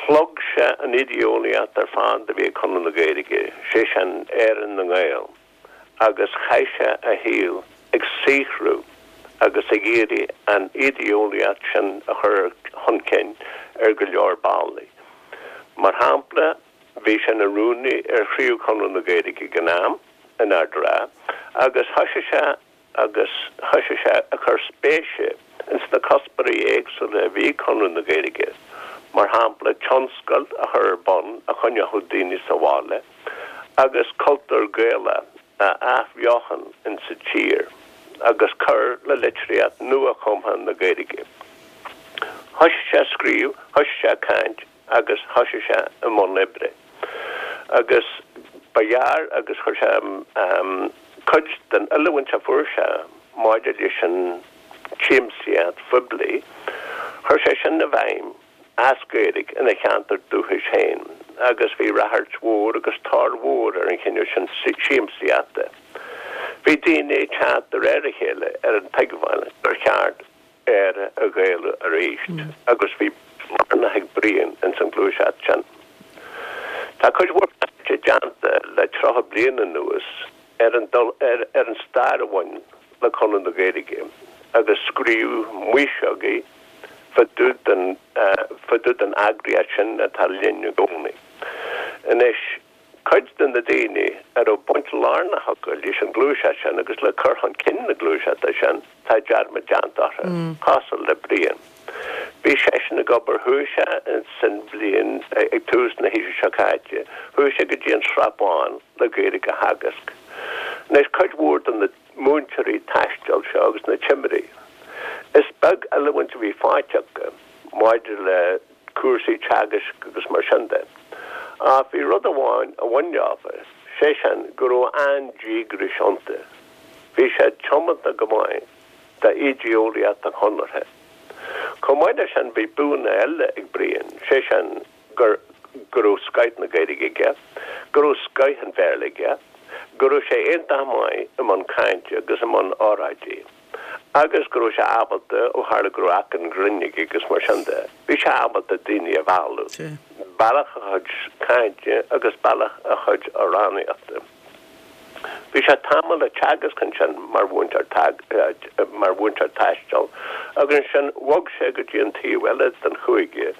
Shlog sé an idé-eolaíocht ar fad a bhí ag Conradh na Gaeilge, sé sin Éire na nGael, agus chaith sé a shaol ag saothrú agus ag iarraidh an idé-eolaíocht sin a chur chun cinn ar go leor bealaí. Mar shampla, bhí sé ina rúnaí ar chraobh Chonradh na Gaeilge ag an am, in Ard a' Rátha, agus thoisigh sé agus thoisigh sé ag cur spéise ins na cuspóirí éagsúla a bhí ag Conradh na Gaeilge, mar shampla tionscail a chur ar bun a choinneochadh daoine sa bhaile agus cultúr Gaelach a athbheochan insa tír agus cur le litríocht nua-chumtha na Gaeilge. Thoisigh sé ag scríobh, thoisigh sé ag caint agus thoisigh sé i mbun oibre. Agus ba ghearr agus chuir sé cuid den oiliúint a fuair sé maidir leis an tsiamsaíocht phoiblí, chuir sé sin i bhfeidhm as Gaeilge ina cheantar dúchais féin agus bhí ráchairt mhór agus tóir mhór ar an chineál sin siamsaíochta. Bhí daoine ag teacht de réir a chéile ar an tuigbheáil gur cheart Éire a Ghaelú arís agus bhí páirt lárnach ag Brian ins an ghluaiseacht sin. Tá cuid mhór cainte déanta le 30 bliain anuas ar an ar an stair a bhain le Conradh na Gaeilge agus scríobh maoiseogaí fá dtaobh den fá dtaobh den eagraíocht sin atá linn i gcónaí anois. Cuid de na daoine a raibh baint lárnach acu leis an ghluaiseacht sin agus le cur chun cinn na gluaiseachta sin, tá dearmad déanta orthu, cosúil le Brian. Bhí seisean ag obair, chuaigh sé san bhliain, ag tús na haoise seo caite, chuaigh sé go dtí an Srath Bán le Gaeilge a theagasc. Anois, cuid mhór de na múinteoirí taistil seo agus na timirí, is beag oiliúint a bhí faighte acu maidir le cúrsaí teagaisc agus mar sin de. Ach bhí rud amháin a bhain leofa, sé sin go raibh an-díograis iontu. Bhí siad tiomanta go maith d'ídéeolaíocht an Chonartha. Chomh maith leis sin bhí buanna eile ag Brian, sé sin gur go raibh scoith na Gaeilge aige, go raibh scoith an Bhéarla aige, go raibh sé iontach maith i mbun cainte agus i mbun óráidí. Agus go raibh sé ábalta, ó tharla go raibh aiceann grinn aige agus mar sin de, bhí sé ábalta daoine a mhealladh, bealach a chuid cainte agus bealach a chuid amhránaíochta. Bhí sé tamall ag teagasc ansin mar mhúinteoir mar mhúinteoir taistil agus ansin bhog sé go dtí an taobh eile den chúige,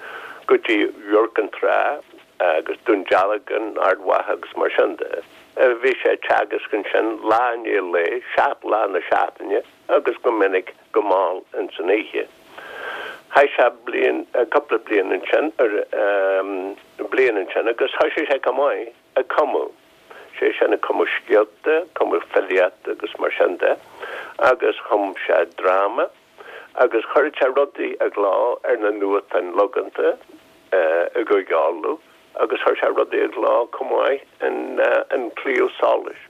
go dtí Iúr Cinn Trá agus Dún Dealgan, Ard Mhacha agus mar sin de. Bhí sé ag teagasc ansin lá i ndiaidh lae, 7 lá na seachtaine agus go minic go mall ins an oíche. Chaith sé bliain, cúpla bliain ansin, bliain ansin agus thoisigh sé chomh maith ag cumadh, sé sin ag cumadh scéalta, cumadh filíochta agus mar sin de agus chum sé dráma. agus chuireadh sé rudaí i gcló ar na nuachtáin logánta i gCúige Uladh agus chuir sé rudaí i gcló chomh maith in An Claidheamh Soluis.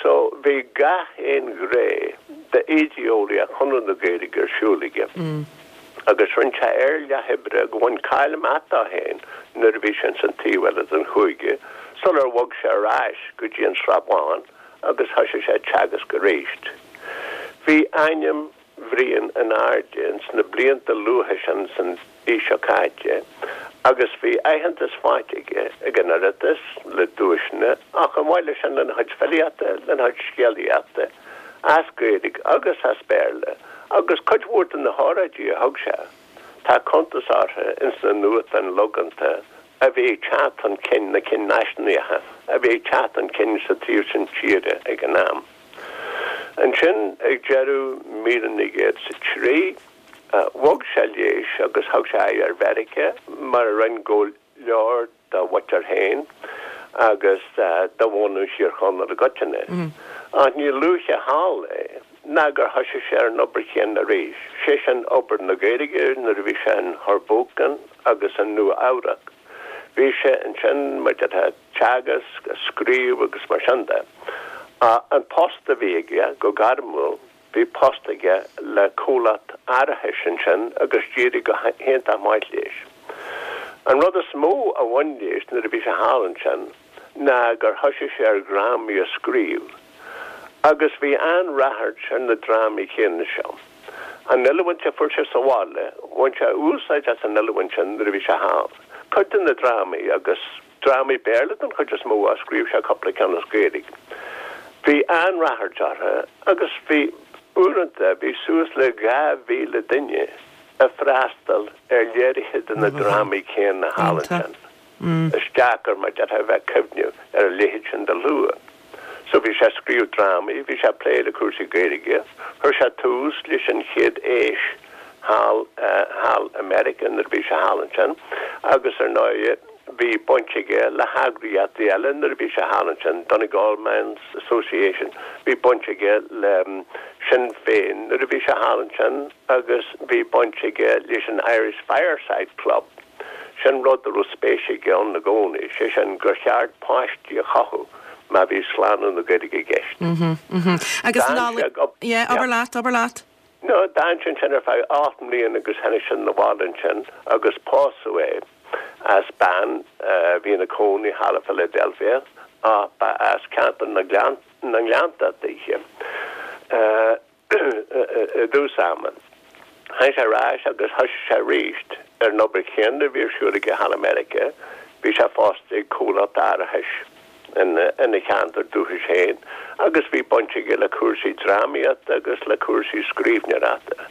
So bhí gach aon ghné d'ídéeolaíocht Chonradh na Gaeilge ar siúl aige agus rinne sé ar leith oibre go bhain cáil amach dó féin nuair a bhí sé ins an taobh eile den chúige sular bhog sé ar ais go dtí an Srath Bán agus thoisigh sé ag teagasc arís. Bhí ainm Bhriain in airde ins na blianta luatha sin san aois seo caite agus bhí aitheantas faighte aige ag an Oireachtas le duaiseanna ach chomh maith leis sin lena chuid filíochta, lena chuid scéalaíochta as Gaeilge agus as Béarla agus cuid mhór de na hóráidí a thug sé, tá cuntas orthu ins na nuachtáin logánta a bhí ag teacht chun cinn, na cinn náisiúnaíocha a bhí ag teacht chun cinn sa taobh sin tíre ag an am. Ansin, ag deireadh 1903, bhog sé léis agus thug sé aghaidh ar Mheiriceá, mar a rinne go leor dá mhuintir féin agus de bhunadh Thír Chonaill i gcoitinne. Ach ní luaithe thall é ná gur thoisigh sé ar an obair chéanna arís, sé sin obair na Gaeilge nuair a bhí sé in Hoboken agus i Nua Eabhrac. Bhí sé ansin, mar déarfá, ag teagasc, ag scríobh agus mar sin de. An post a bhí aige, go gairmiúil, bhí post aige le comhlacht árachais ansin agus d'éirigh go hiontach maith léis. An rud is mó a bhain léis nuair a bhí sé thall ansin ná gur thoisigh sé ar dhrámaí a scríobh agus bhí an-ráchairt ar na drámaí céanna seo. An oiliúint a fuair sé sa bhaile, bhain sé úsáid as an oiliúint sin nuair a bhí sé thall. Cuid de na drámaí, agus drámaí Béarla den chuid is mó, ach scríobh sé cúpla ceann as Gaeilge, bhí an-ráchairt orthu agus bhí, uaireanta, bhí suas le 2,000 duine ag freastal ar léirithe de na drámaí céanna thall ansin. Is deacair, mar déarfá, a bheith ag cuimhneamh ar a leithéid sin de shlua. So bhí sé ag scríobh drámaí, bhí sé ag plé le cúrsaí Gaeilge, chuir sé tús leis an chéad fheis thall, thall i Meiriceá nuair a bhí sé thall ansin agus ar ndóigh bhí baint aige le heagraíochtaí eile nuair a bhí sé thall ansin, Donegal Men's Association, bhí baint aige le Sinn Féin nuair a bhí sé thall ansin agus bhí baint aige leis an Irish Fireside Club. Sin rud a raibh spéis aige ann i gcónaí, sé sin gur cheart páistí a chothú má bhí slánú na Gaeilge i gceist. Agus D'fhan sé go, yeah, abair leat, abair leat. No, d'fhan sé ansin ar feadh 8 mbliana agus tháinig sé 'na bhaile ansin agus pósadh é as bean a bhí ina cónaí thall i Philadelphia ach ba as ceantar na nGleanntach dithe. I dtús ama, tháinig sé ar ais agus thoisigh sé arís ar an obair chéanna a bhí ar siúl aige thall i Meiriceá. Bhí sé fostaithe ag comhlacht árachais ina cheantar dúchais féin agus bhí baint aige le cúrsaí drámaíochta agus le cúrsaí scríbhneoireachta.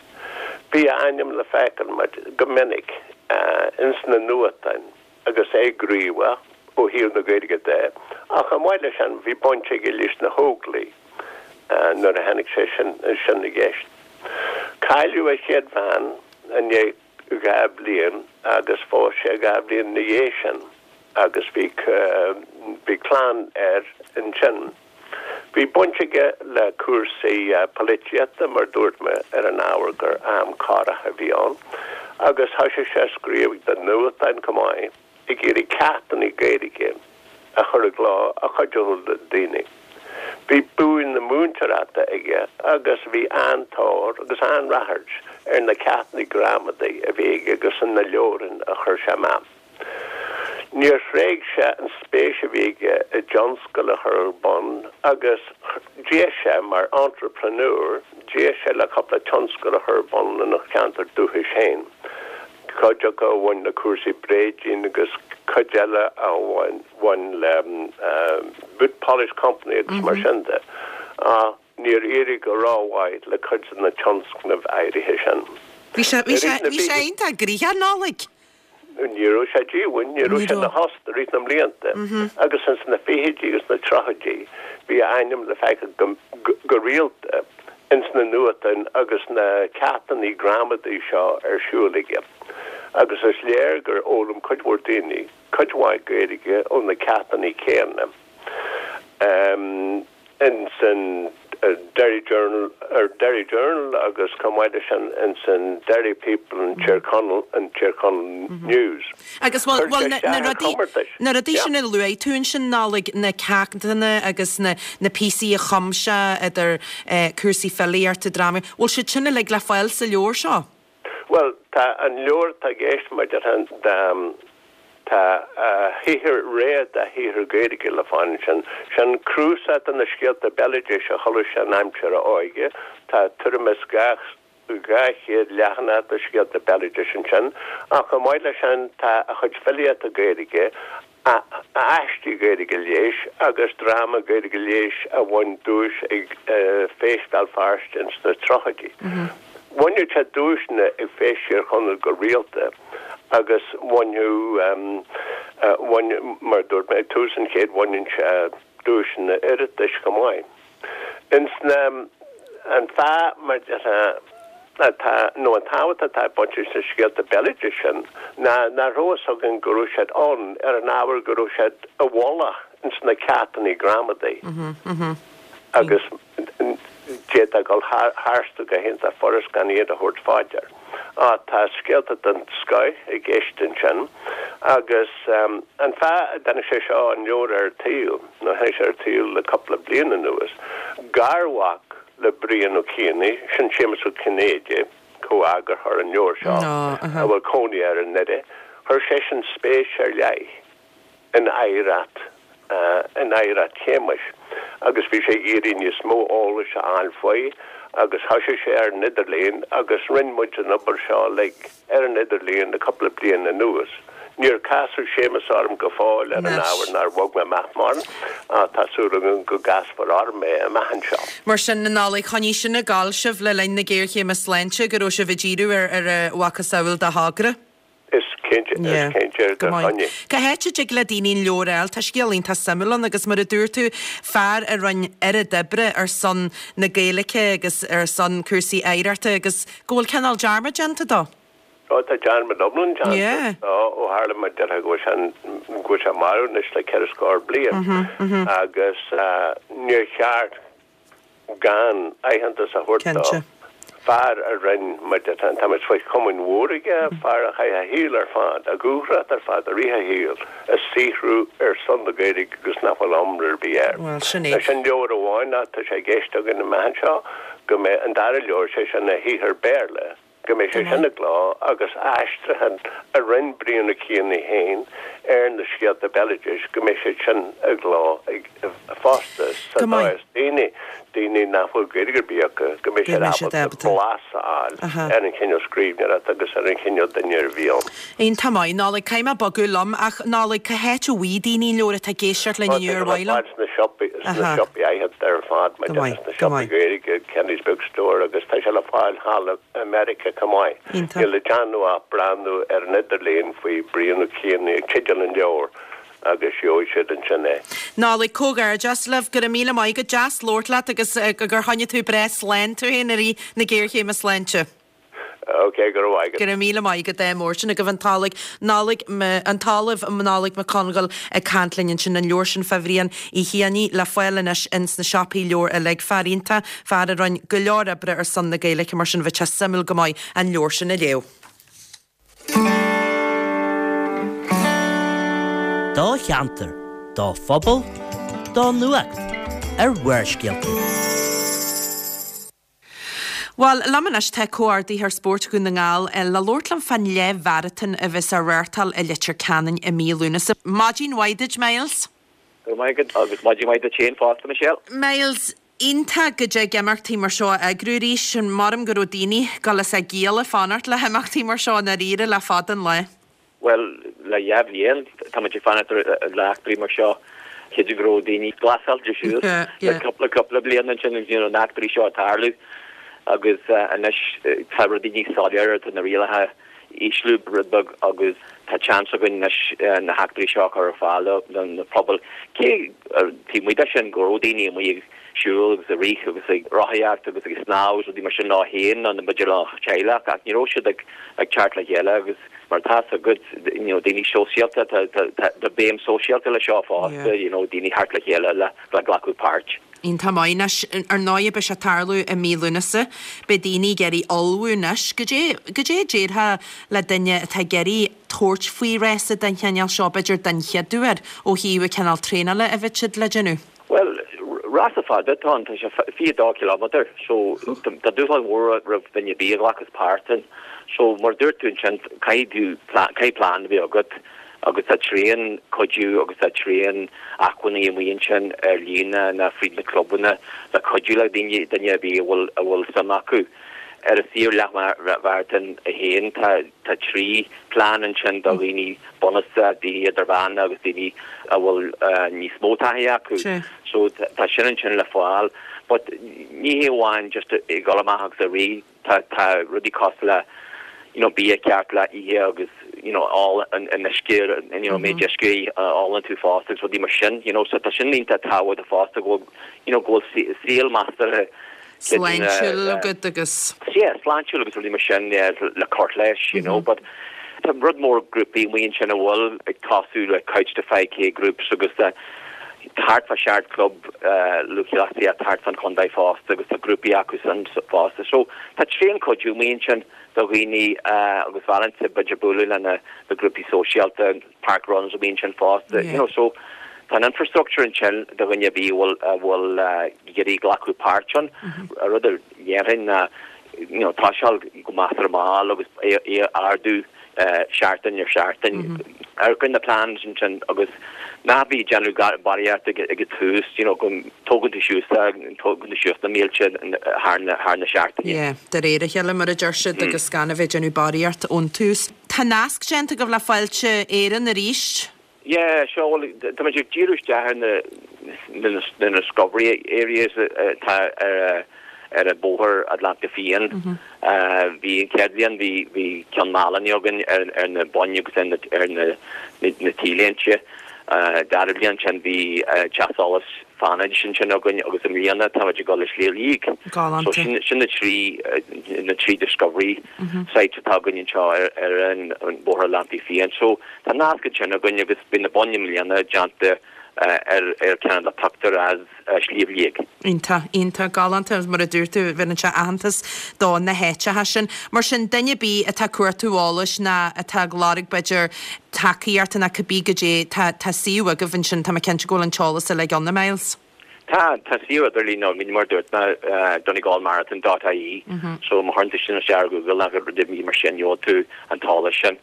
Bhí a ainm le feiceáil go minic ins na nuachtáin agus é gníomhach. ó thaobh na Gaeilge de, ach chomh maith leis sin bhí baint aige leis na hÓglaigh nuair a tháinig sé sin i gceist. Cailleadh a chéad bhean i ndiaidh 2 bhliain agus phós sé 2 bhliain ina dhiaidh sin agus bhí bhí clann air ansin. Bhí baint aige le cúrsaí polaitíochta mar dúirt mé ar an ábhar gur am corrach a bhí ann agus thoisigh sé a scríobh do nuachtáin chomh maith. ag iarraidh ceachtanna Gaeilge a chur i gcló a chuideodh le daoine. Bhí bua na múinteoireachta aige agus bhí an-tóir agus an-ráchairt ar na ceachtanna gramadaí a bhí aige agus na leabhráin a chuir sé amach. Níor thréig sé an spéis a bhí aige i dtionscal a chur ar bun agus d'éist sé mar entrepreneur, d'éist sé le cúpla tionscal a chur ar bun ina cheantar dúchais féin. cuid acu a bhain le cúrsaí bréidín agus cuid eile a bhain le boot polish company agus mar sin de. Ach níor éirigh go rómhaith le cuid de na tionscnaimh áirithe sin. Bhí sé, bhí sé, bhí sé iontach gnoitheach, Nollaig. Ní raibh sé díomhaoin, ní raibh sé ina thost i rith na mblianta agus ins na fichidí agus na tríochaidí bhí a ainm le feiceáil go, go rialta. ins na nuachtáin agus na ceachtanna gramadaí seo ar siúl aige agus is léir gur fhoghlaim cuid mhór daoine cuid mhaith Gaeilge ó na ceachtanna céanna. Ins an Derry Journal, Derry Journal agus chomh maith leis sin ins an Derry People and Tír Chonaill and Tír Chonaill News. Agus bhuel, bhuel na, na rudaí, na rudaí sin a luaigh tú ansin, Nollaig, na ceachtanna agus na, na píosaí a chum sé idir eh cúrsaí filíochta, drámaí, bhfuil siad sin uilig le fáil sa leabhar seo? Bhuel, tá an leabhar atá i gceist maidir le, tá a shaothar, rogha dá shaothar Gaeilge le fáil ansin. Sin cnuasach de na scéalta béaloidis a chuala sé in aimsir a óige. Tá tuairim is 200 200 leathanach de scéalta béaloidis ansin, ach chomh maith leis sin tá a chuid filíochta Gaeilge, a aistí Gaeilge leis agus dráma Gaeilge leis a bhain duais ag Feis Bhéal Feirste ins na tríochaidí. Bhaineadh sé duaiseanna ag Feis Thír Chonaill go rialta agus bhaineadh, bhain, mar a dúirt mé ag tús an chéid, bhaineann sé duaiseanna Oireachtais chomh maith. Ins na, an fáth mar atá, nó an tábhacht atá ag baint leis na scéalta béaloidis sin ná nach raibh fhios againn go raibh siad ann ar an ábhar go raibh siad i bhfolach ins na ceachtanna gramadaí agus d'fhéadfá dul tharstu go hiontach furast gan iad a thabhairt fá dear. Á, tá scéalta den scoith i gceist ansin agus an fáth a dtáinig sé seo, an leabhar ar an tsaol, nó tháinig sé ar an tsaol le cúpla bliain anuas, garmhac le Brian Ó Cianaigh, sin Séamus Ó Cinnéide, comheagarthóir an leabhair seo, a bhfuil cónaí air i nDoire, chuir seisean spéis ar leith in oidhreacht, in oidhreacht Shéamuis agus bhí sé ag iarraidh níos mó eolais a fháil faoi agus thoisigh sé ar an idirlíon agus rinne muid an obair seo uilig ar an idirlíon le cúpla bliain anuas. Níor casadh Séamus orm go fóill ar an ábhar nár bhog mé amach mórán ach tá súil agam go gcasfar orm é amach anseo. Mar sin, a Nollaig, choinnigh sin ag gabháil sibh le linn na géarchéime sláinte, go raibh sibh ag díriú ar ar a mhacasamhail de thogra. Is cinnte, is cinnte gur choinnigh. Cá háit a dtig le daoine an leabhar a fháil? Tá scéal iontach suimiúil ann agus mar a dúirt tú, fear a rinne oiread oibre ar son na Gaeilge agus ar son cúrsaí oidhreachta agus go bhfuil cineál dearmad déanta dó. Ó tá dearmad iomlán déanta dó ó tharla mar déarfá go bhfuil sé, go bhfuil sé marbh anois le ceithre scór bliain agus níor cheart gan aitheantas a thabhairt dó. Fear a rinn, mar déarfá, táimid faoi chomaoin mhór aige, fear a chaith a shaol ar fad, a dhúthracht ar fad i rith a shaoil, ag saothrú ar son na Gaeilge agus nach bhfuil iomrá ar bith air. Bhuel, sin é. Sin leabhar amháin ach tá sé i gceist againn amach anseo go mbeidh an dara leabhar, sé sin a shaothar Béarla, go mbeidh sé sin i gcló agus aistriúchán a rinne Brian Ó Cianaigh féin ar na scéalta béaloidis, go mbeidh siad sin i gcló fosta sa dóigh is daoine, daoine nach bhfuil Gaeilge ar bith acu, go mbeidh siad ábalta blas a fháil ar an chineál scríbhneoireachta agus ar an chineál duine a bhí ann. Iontach maith, Nollaig, caithfidh mé bogadh liom ach Nollaig, cá háit a bhfaighidh daoine an leabhar atá ag éisteacht linn inniu ar mhaith leo? Tá sé le fáil sna siopaí aitheanta ar fad, mar déarfá sna siopaí Gaeilge, Kenny's Bookstore agus tá sé le fáil thall i Meiriceá chomh maith. Níl le déanamh ach breathnú ar an idirlíon faoi Brian Ó Cianaigh, teideal an leabhair. agus gheobhaidh siad ansin é. Nollaig, Comhghairdeas libh, go raibh míle maith agat, deas labhairt leat agus gur choinnigh tú breá slán tú féin i rith na géarchéime sláinte. Ok, go raibh maith agat. Go raibh míle maith agat, ádh mór. Sin agaibh an tOllamh Nollaig, an tOllamh Nollaig Mac Congáil ag caint linn ansin, an leabhar sin fá Bhrian Uí Chianaigh le fáil anois ins na siopaí leabhar uilig. Fear iontach, fear a rinn go leor oibre ar son na Gaeilge mar sin bheadh sé suimiúil go maith an leabhar sin a léamh. Do cheantar, do phobal, do nuacht ar Bharrscéalta. Bhuel, liom anois tá Comhordaitheoir Spóirt Dhún na nGall le labhairt liom fán leathmharatón a bheas á reáchtáil i Leitir Ceanainn i mí Lúnasa. Maidin mhaith duit, Myles. Go raibh maith agat agus maidin mhaith duit féin fosta, Michelle. Myles, iontach go dtig imeachtaí mar seo a eagrú arís. Maram go raibh daoine ag dul is ag gialla fanacht le himeachtaí mar seo i ndáiríre le fada an lá. Bhuel, le dhá bhliain, tá muid ag fanacht le heachtraí mar seo. Creidim go raibh daoine glasáilte suas le cúpla cúpla bliain ansin agus you know na heachtraí seo ag tarlú agus anois tá rudaí níos soiléire, tá na rialacha ísliú rud beag agus tá seans againn anois na heachtraí seo a chur ar fáil do na pobail. Cé taobh amuigh de sin go raibh daoine amuigh ag siúl agus ag rith agus ag rothaíocht agus ag snámh agus rudaí mar sin leo féin nó b'fhéidir lena teaghlach ach ní raibh siad ag teacht le chéile agus mar atá a fhios agat you know daoine sóisialta tá tá tá béim sóisialta le seo fosta you know daoine theacht le chéile le le glacadh páirt. Iontach maith. Anois, ar ndóigh beidh sé ag tarlú i mí Lúnasa. Beidh daoine ag iarraidh ullmhú anois. Goidé, goidé a déarfá le duine atá ag iarraidh tabhairt faoi rása den chineál seo, b'fhéidir den chéad uair, ó thaobh an cineál traenála a bheidh siad le déanamh? Bhuel, rása fada atá ann, tá sé 22 cileámeadar, so tá dúshlán mhór roimh duine ar bith a ghlacas páirt ann. So, mar a dúirt tú ansin, caithfidh tú, caithfidh plean a bheith agat agus tá tréan cuidiú agus tá tréan acmhainní amuigh ansin ar líne nó fríd na clubanna le cuidiú le daoine, duine ar bith a bhfuil, a bhfuil suim acu. Ar an suíomh leathmharatón 1 tá, tá 3 plean ansin do dhaoine bunúsacha, daoine idirmheánacha agus daoine a bhfuil níos mó taithí acu. So tá sin ansin le fáil. But ní hé amháin just ag dul amach agus ag rith, tá tá rudaí cosúil le you know bia ceart le ithe agus you know ól an an uisce you know méid uisce a ólann tú fosta agus rudaí mar sin you know so tá sin iontach tábhachtach fosta go bhfuil you know go bhfuil saol measartha Sláintiúil agat agus. Yeah, sláintiúil agus rudaí mar sin, yeah, le cur leis, you know, but tá rud mór grúpaí amuigh ansin a bhfuil ag tosú le Couch to 5K groups agus tá thart fá sheacht club lúthchleasaíocht thart fán chontae fosta agus tá grúpaí acu san fosta. So tá tréan cuidiú amuigh ansin do dhaoine agus mholfainnse b'fhéidir bualadh le na grúpaí sóisialta, park runs amuigh ansin fosta you know so tá an infrastructure ansin do dhuine ar bith a bhfuil a bhfuil ag iarraidh glacadh páirt ann. An rud a dhéarfainn ná you know toiseáil go measartha mall agus é é a ardú seachtain ar sheachtain. Amharc ar na plans ansin agus ná bí ag déanamh barraíocht ag ag an tús you know go tógann tú suas tógann tú suas na mílte thar na thar na seachtaine. Yeah, de réir a chéile mar a deir siad agus gan a bheith ag déanamh barraíocht ón tús. Tá nasc déanta agaibh le Fáilte Éireann arís. Yeah, seo, bhuel, tá muid ag díriú isteach ar na, na discovery areas atá ar, ar an bóthar Atlantach Fiáin. Bhí an chéad bhliain, bhí, bhí Ceann Mailinne againn ar, ar na boinn agus ar na, ar na, na T-léinte. Dara bliain sin bhí Teach Solais Fánaid ansin againn agus i mbliana tá muid ag dul le Sliabh Liag. Galánta. So sin, sin na trí, na trí discovery sites atá againn anseo ar, ar an Bóthar Atlantaigh Fiáin. So tá nasc ansin againn agus beidh na boinn i mbliana déanta ar, ar ceann le pictiúr as Sliabh Liag. Iontach, iontach, galánta agus mar a dúirt tú, bheireann sé aitheantas do na háiteacha sin. Mar sin, duine ar bith atá ag cuartú eolais ná atá ag lorg b'fhéidir tacaíochta ná cibé goidé, tá, tá suíomh agaibh ansin, tá mé cinnte go bhfuil an t-eolas uilig ann, a Myles. Tá, tá suíomh idirlín againn mar a dúirt mé, donegalmarathon dot ie, so má chuireann tú sin isteach ar Google nó rud ar bith mar sin, gheobhaidh tú an t-eolas sin.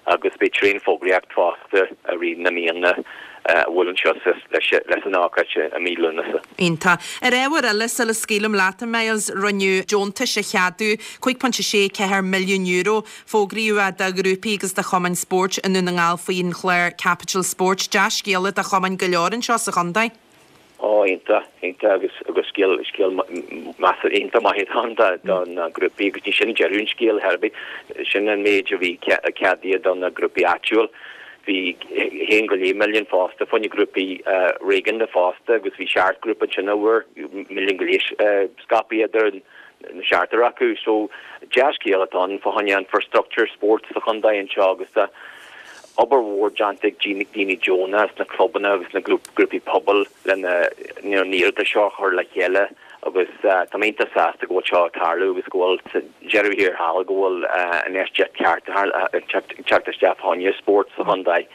Agus beidh tréan fógraíocht fosta i rith na míonna a bhuaileann suas leis an ócáid i mí Lúnasa. Iontach. Ar ábhar eile, sula scaoilim leat, a Myles, rinneadh deontais a cheadú, €5.64 milliún, fógraíodh é do ghrúpaí agus do chumainn spóirt i nDún na nGall faoin chlár Capital Sport. Dea-scéala do chumainn go leor anseo sa chontae. Ó, iontach, iontach agus agus scéal, scéal measartha iontach maith atá ann do, do na grúpaí agus ní sin deireadh an scéil ar bith. Sin an méid a bhí ceadaithe do na grúpaí áitiúil. Bhí 1.5 milliún fosta fá choinne grúpaí réigiúnda fosta agus bhí seacht grúpa ansin a bhfuair milliún go leith scaipthe idir na seachtar acu. So dea-scéal atá ann fá choinne infrastructure spóirt sa chontae anseo agus tá obair mhór déanta ag daoine deonacha sna clubanna agus na grúpaí pobail lena na hiarratais seo a chur le chéile agus tá mé iontach sásta go bhfuil seo ag tarlú agus go bhfuil sa deireadh thiar thall go bhfuil an infheistíocht ceart ag teacht isteach fá choinne spórt sa chontae.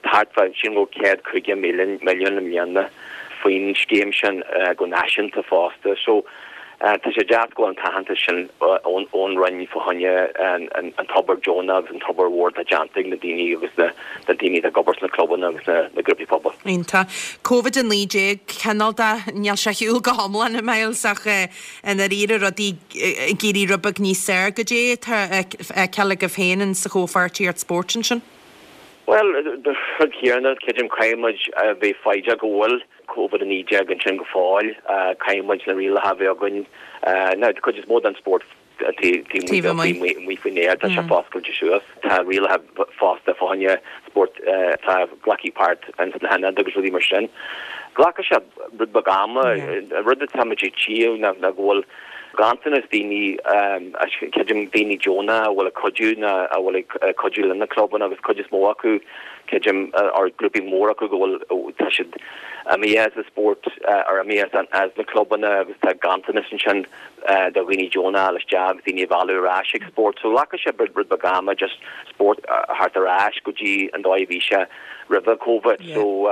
Thart fá sin go 150 milliún i mbliana faoin scéim sin go náisiúnta fosta. So tá sé deas go bhfuil an t-aitheantas sin ón Roinn fá choinne an t-obair deonach agus an t-obair mhór atá déanta ag na daoine agus na daoine atá ag obair sna clubanna agus na grúpaí pobail. Iontach. Covid-19, cineál de, níl sé ar shiúl go hiomlán, a Myles, ach i ndáiríre rudaí ag éirí rud beag níos fearr. Goidé atá á fheiceáil agaibh féin in sa chomhpháirtíocht spóirt ansin? Bhuel, rud céanna, creidim caithfidh muid a bheith foighdeach go bhfuil Covid-19 ansin go fóill. Caithfidh muid na rialacha a bheith againn. Now, tá cuid is mó den spórt taobh amuigh faoin aer, tá sé foscailte suas. Tá rialacha fosta fá choinne spórt atá ag glacadh páirt ins na hionaid agus rudaí mar sin. Glacfaidh sé rud beag ama. An rud atá muid ag tchíadh ná go bhfuil ganntanas daoine, creidim daoine deonacha a bhfuil ag cuidiú nó a bhfuil ag cuidiú le na clubanna agus cuid is mó acu, creidim, or grúpaí mór acu go bhfuil, tá siad imithe as an spórt or imithe as na clubanna agus tá ganntanas ansin do dhaoine deonacha a fháil isteach agus daoine a mhealladh ar ais ag spórt. So glacfaidh sé rud beag ama just spórt a theacht ar ais go dtí an dóigh a bhí sé roimhe Covid. So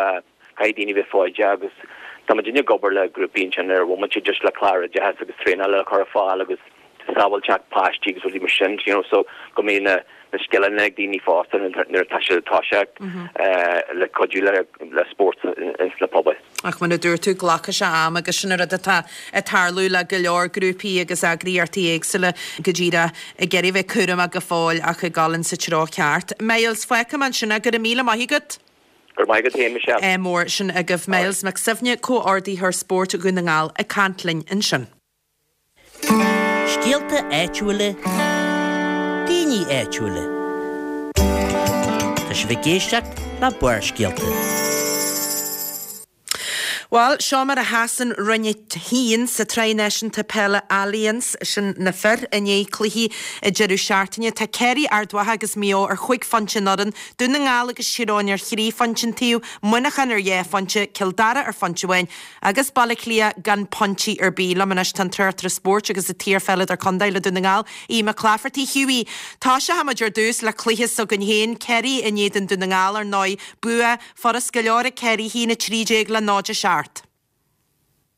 caithfidh daoine bheith foighdeach agus tá muidinne ag obair le grúpaí ansin ar bhomaite just le clár oideachais agus traenáil a chur ar fáil agus sábháilteacht páistí agus rudaí mar sin, you know, so go mbeidh na na scileanna ag daoine fosta nuair atá siad ag toiseacht le cuidiú le le spórt ins na pobail. Ach mar a dúirt tú, glacfaidh sé am agus sin an rud atá ag tarlú le go leor grúpaí agus eagraíochtaí éagsúla go díreach ag iarraidh bheith cúramach go fóill ach ag dul insa treo ceart. Myles, fágfaidh mé ansin é, go raibh míle maith agat. Go raibh maith agat féin, Michelle. Ádh mór sin agaibh. Myles Mac Suibhne, Comhordaitheoir Spóirt Dhún na nGall ag caint linn ansin. Scéalta áitiúla, daoine áitiúla. Tá sibh ag éisteacht le Barrscéalta. Bhuel, seo mar a sheasann Roinn 1 sa tSraith Náisiúnta Peile Allianz, sin na fir, i ndiaidh cluichí an deireadh seachtaine. Tá Ciarraí, Ard Mhacha agus Maigh Eo ar chúig phointe an fhoireann, Dún na nGall agus Tír Eoghain ar thrí phointe an taobh, Muineachán ar dhá phointe, Cill Dara ar phointe amháin agus Baile Átha Cliath gan pointí ar bith. Liom anois tá an tráchtaire spóirt agus an t-iarpheileadóir contae le Dún na nGall, Aodh Mac Laifeartaigh. Hughie, toiseoidh muid ar dtús le cluiche s'againn féin, Ciarraí in éadan Dún na nGall, ar ndóigh, bua Furast go leor ag Ciarraí, 1-13 le 0-7.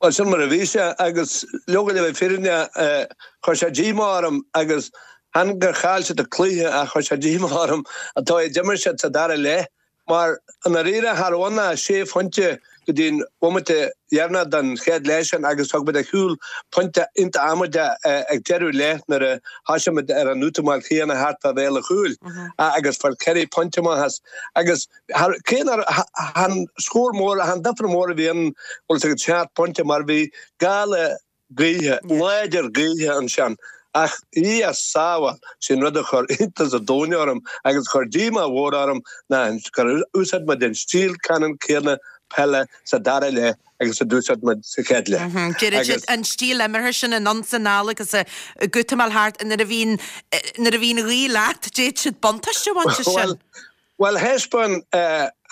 Bhuel, sin mar a bhí sé, agus leoga le bheith fírinneach, chuir sé díomá orm agus chan gur chaill siad an cluiche ach chuir sé díomá orm an dóigh a d'imir siad sa dara leath mar i ndáiríre cha raibh ann ach sé phointe go dtí an bhomaite dheireanach den chéad leath sin agus thug muid ar chúl pointe iontach amaideach ag deireadh leath nuair a thosaigh muid ar an útamáil chéanna thart fá bhéal an chúil agus fuair Ciarraí pointe amach as agus Cé nach chan scór mór, chan difear mór a bhí ann, bhfuil fhios agat, seacht bpointe mar bhí gála gaoithe, láidir gaoithe ansin. Ach Dhia sábháil, sin rud a chuir iontas an domhain orm agus a chuir díomá mhór orm ná gur úsáid muid an stíl ceannann céanna peile sa dara leath agus a d'úsáid muid sa chéad leath. Deireann siad an stíl imeartha sin anonn 's anall agus ag útamáil thart nuair a bhíonn nuair a bhíonn gaoth leat, d'fhéadfadh siad buntáiste a bhaint as sin. Bhuel, thaispeáin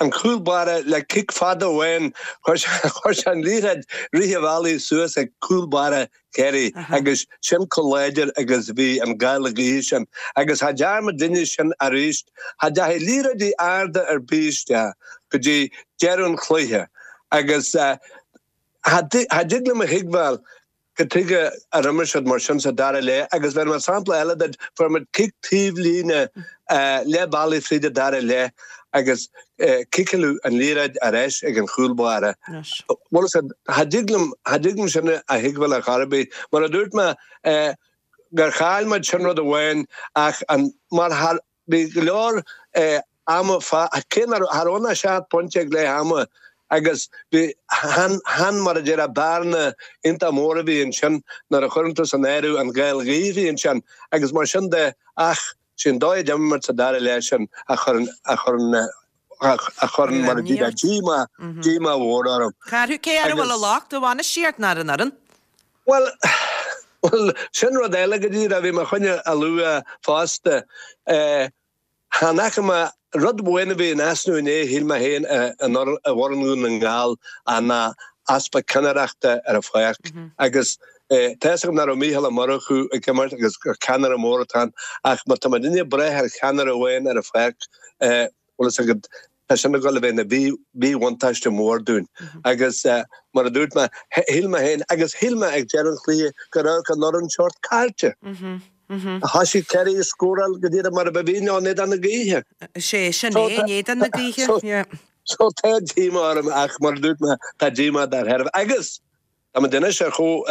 an cúl báire le cic fada amháin, chuir sé an liathróid rith an bhealaigh suas ag cúl báire Chiarraí agus sin chomh láidir agus a bhí an gála gaoithe sin. Agus cha dtearn muidinne sin arís, cha dteachaigh liathróidí arda ar bith isteach go dtí deireadh an chluiche agus cha dtig liom a thuigbheáil Cad tuige ar imir siad mar sin sa dara leath agus bhéarfaidh mé sampla eile duit, fuair muid cic taobh líne leath bealaigh fríd an dara leath agus ciceáladh an liathróid ar ais ag an chúl báire. Bhuel, cha dtig liom, cha dtig liom sin a thuigbheáil ar chor ar bith. Mar a dúirt mé, gur chaill muid, sin rud amháin ach an, mar thar, Bhí go leor ama cé nach raibh, cha raibh ann ach seacht bpointe ag leath ama agus bhí, chan, chan mar a déarfá bearna iontach mór a bhí ansin nuair a chuireann tú san áireamh an gháil ghaoithe a bhí ansin agus mar sin de ach sé an dóigh a d'imir muid sa dara leath sin a chuireann, a chuireann. a chuireann, mar a déarfá, díomá, díomá mhór orm. Cé air a bhfuil an locht, an bhainistíocht ná ar an fhoireann? Bhuel, bhuel, sin rud eile go díreach a bhí mé chun a lua fosta. Chan fhaca mé rud amháin a bhí in easnamh inné, shíl mé féin, i bhfoireann Dhún na nGall ná easpa ceannaireachta ar an pháirc. Agus tá fhios agam nach raibh Mícheál Ó Murchú ag imirt agus gur ceannaire mór atá ann ach má tá muid ag brath ar cheannaire amháin ar an pháirc, bhfuil fhios agat, tá sin ag dul a bheith ina mhíbhuntáiste mór dúinn. Agus mar a dúirt mé, shíl mé féin, agus shíl mé ag deireadh an chluiche, go raibh an fhoireann sórt caillte. Thosaigh Kerry ag scóráil go díreach mar a bhí in éadan na gaoithe. Is é sin é, in éadan na gaoithe. So tá díomá orm ach mar a dúirt mé, tá díomá dár thairbhe. Agus tá muid anois ar chomh,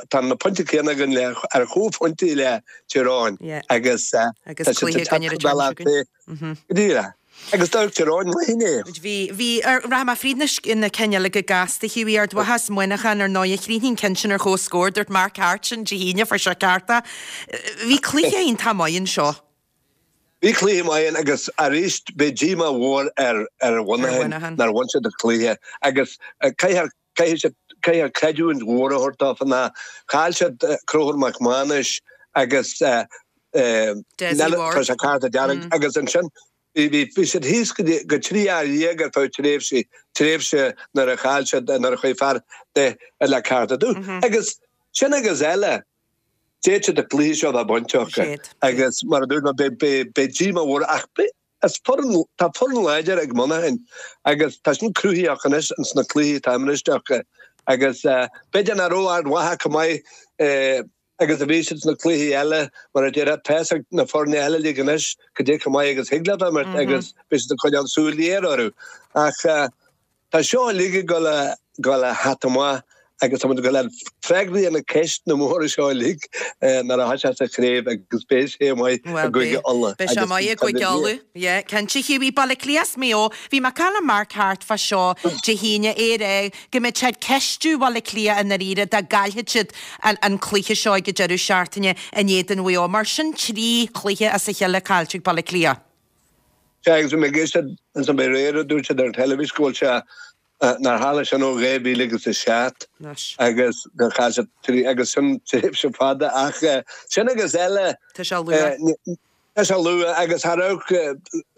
tá na pointí céanna againn le, ar chomhphointí le Tír Eoghain agus tá siad ag teacht go bealach féin. Go díreach. Agus d'amharc Tír Eoghain maith inné. Bhí, bhí, rachaidh mé fríd na, na cinn eile go gasta, Hughie, Ard Mhacha is Muineachán ar ndóigh, chríochnaigh an ceann sin ar chomhscór, dúirt Mark Harte sin Dé hAoine, fuair sé ceart é. Bhí cluiche iontach maith anseo. Bhí cluiche maith ann agus arís beidh díomá mhór ar ar Mhuineachán nár bhain siad an cluiche agus caithfear caithfidh siad caithfear creidiúint mhór a thabhairt dófa ná chaill siad Conchúr Mac Mánais agus Dessie Ward. Fuair sé cárta dearg agus ansin bhí bhí siad thíos go dtí go 13 fhear ar feadh tréimhsí tréimhse nuair a chaill siad nuair a chuaigh fear de le cárta dubh agus sin agus eile D'fhéadfadh siad an cluiche seo a bheith bainte acu agus mar a dúirt mé beidh díomá mhór ach is foireann, tá foireann láidir ag Muineachán agus tá sin cruthaithe acu anois ins na cluichí atá imriste acu agus b'fhéidir nach raibh Ard Mhacha chomh maith agus a bhí siad sna cluichí eile mar a déarfá, tá fhios ag na foirne eile uilig anois cad é chomh maith agus thig leo imirt agus beidh siad ag coinneáil súil ghéar orthu ach Tá seo uilig ag dul a dul a theacht amach agus tá muid ag dul a fháil freagraí ar na ceisteanna móra seo uilig nuair a thoiseos an chraobh agus beidh sé maith i gCúige Uladh. Beidh sé maith i gCúige Uladh, yeah, cinnte. Hughie, Baile Átha Cliath is Maigh Eo, bhí mé ag caint le Mark Harte fá seo Dé hAoine, é ag rá go mbeadh sé ag ceistiú Bhaile Átha Cliath i ndáiríre dá gcaillfeadh siad an cluiche seo ag an deireadh seachtaine in éadan Mhaigh Eo. Mar sin trí chluiche as a chéile caillte ag Baile Átha Cliath. Sea, agus bhí mé ag éisteacht ansan aréir a dúirt siad ar an teilifís go bhfuil sé, nár tharla sin ó 2000 agus a 7 agus gur chaill siad trí, agus sin tréimhse fada ach sin agus eile. Tá sé luath. Tá sé luath agus cha raibh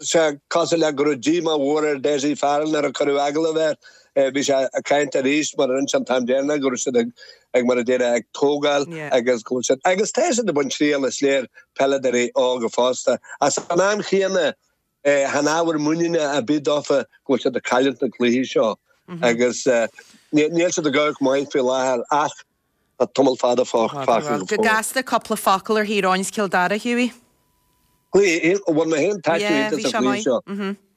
sé cosúil le go raibh díomá mhór ar Dessie Farrell nuair a cuireadh agallamh air. Bhí sé ag caint arís mar a rinne sé an t-am deireanach go raibh siad ag, ag mar a déarfá, ag tógáil agus go bhfuil siad, agus tá siad ag baint triail is léir, peileadóirí óga fosta. Ach san am chéanna, chan ábhar muiníne ar bith dófa go bhfuil siad ag cailliúint na cluichí seo agus níl siad ag amharc maith faoi láthair ach tá tamall fada fágtha go fóill. Go gasta cúpla focal ar Thír Eoghain is Cill Dara, Hughie. Cluiche, bhain mé féin taitneamh iontach as an chluiche seo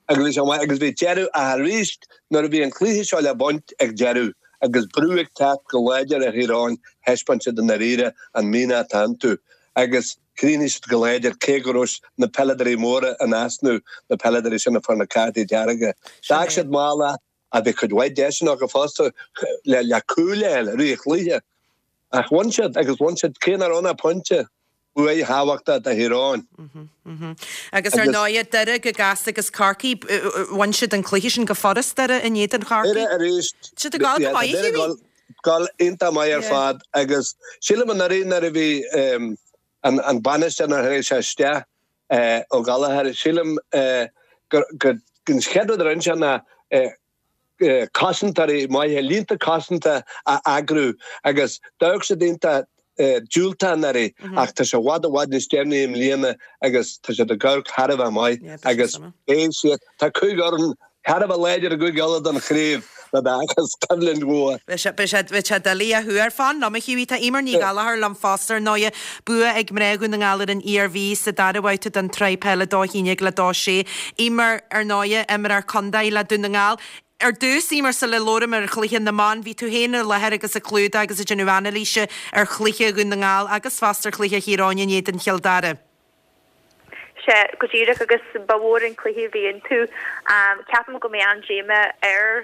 agus bhí sé maith agus bhí deireadh ach arís nuair a bhí an cluiche seo le baint ag deireadh agus brú ag teacht go láidir ar Thír Eoghain thaispeáin siad i ndáiríre an mianach atá iontu agus chríochnaigh siad go láidir cé go raibh na peileadóirí móra in easnamh, na peileadóirí sin a fuair na cártaí dearga. D'fhág siad mall ach bhí cuid mhaith deiseanna acu fosta le cúil a fháil i rith an chluiche. Ach bhain siad agus bhain siad cé nach raibh ann ach pointe. Bua thábhachtach do Thír Eoghain. Agus ar ndóighe, Doire go gasta agus Corcaigh, bhain siad an cluiche sin go furast, Doire in éadan Chorcaí. Doire arís. Tá siad ag gabháil go maith, a Hughie. Gabháil iontach maith ar fad agus sílim anuraidh nuair a bhí an bainisteoir nuair a tháinig sé isteach, Ó Gallchóir, sílim gur an chéad rud a rinne sé ná cosantóirí maithe, línte cosanta a eagrú agus d'amharc siad iontach diúltach anuraidh ach tá sé i bhfad i bhfad níos deimhní i mbliana agus tá siad ag amharc thar a bheith maith agus beidh siad, tá cúig fhoireann thar a bheith láidir i gCúige Uladh don chraobh le d'fheachas coimhlint mhór. Beidh sé, beidh sé, beidh sé doiligh a thuar. Fan liom, a Hughie, tá Eimear Ní Ghallchóir liom fosta ar ndóighe. Bua ag mná Dhún na nGall ar an Iarmhí sa dara babhta den tSraith Peile 2-11 le 2-6. Eimear, ar ndóighe, imreoir contae le Dún na nGall. Ar dtús, Eimear, sula labhraím ar chluiche na mban, bhí tú féin i láthair agus ag clúdach agus ag déanamh anailíse ar chluiche Dhún na nGall agus fosta ar chluiche Thír Eoghain in éadan Chill Dara. Sea, go díreach, agus ba mhór an cluiche a bhí iontu. Ceapaim go mbeidh an-díomá ar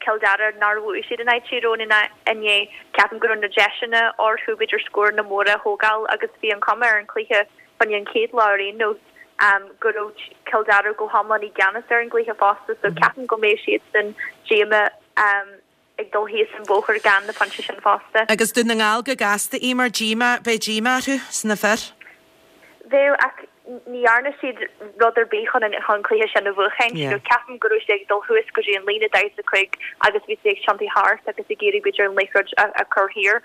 Chill Dara nár bhuaigh siad in aghaidh Tír Eoghain inné. Ceapaim go raibh na deiseanna orthu b'fhéidir scóranna móra a thógáil agus bhí an chuma ar an chluiche fá choinne an chéad lá ar aon nós go raibh. Cill Dara go hiomlán i gceannas ar an gcluiche fosta so ceapaim go mbeidh siadsan díomách ag dul thíos an bóthar gan na pointí sin fosta. Agus Dún na nGall go gasta, Eimear, díomá, beidh díomá orthu sna fir. Bheadh, ach ní dhearna siad rud ar bith chun an chun cluiche sin a bhuachaint. You know, ceapaim go raibh siad ag dul thuas go dtí an líne 45 agus bhí siad ag tiontú thart agus ag iarraidh b'fhéidir an liathróid a a chur thiar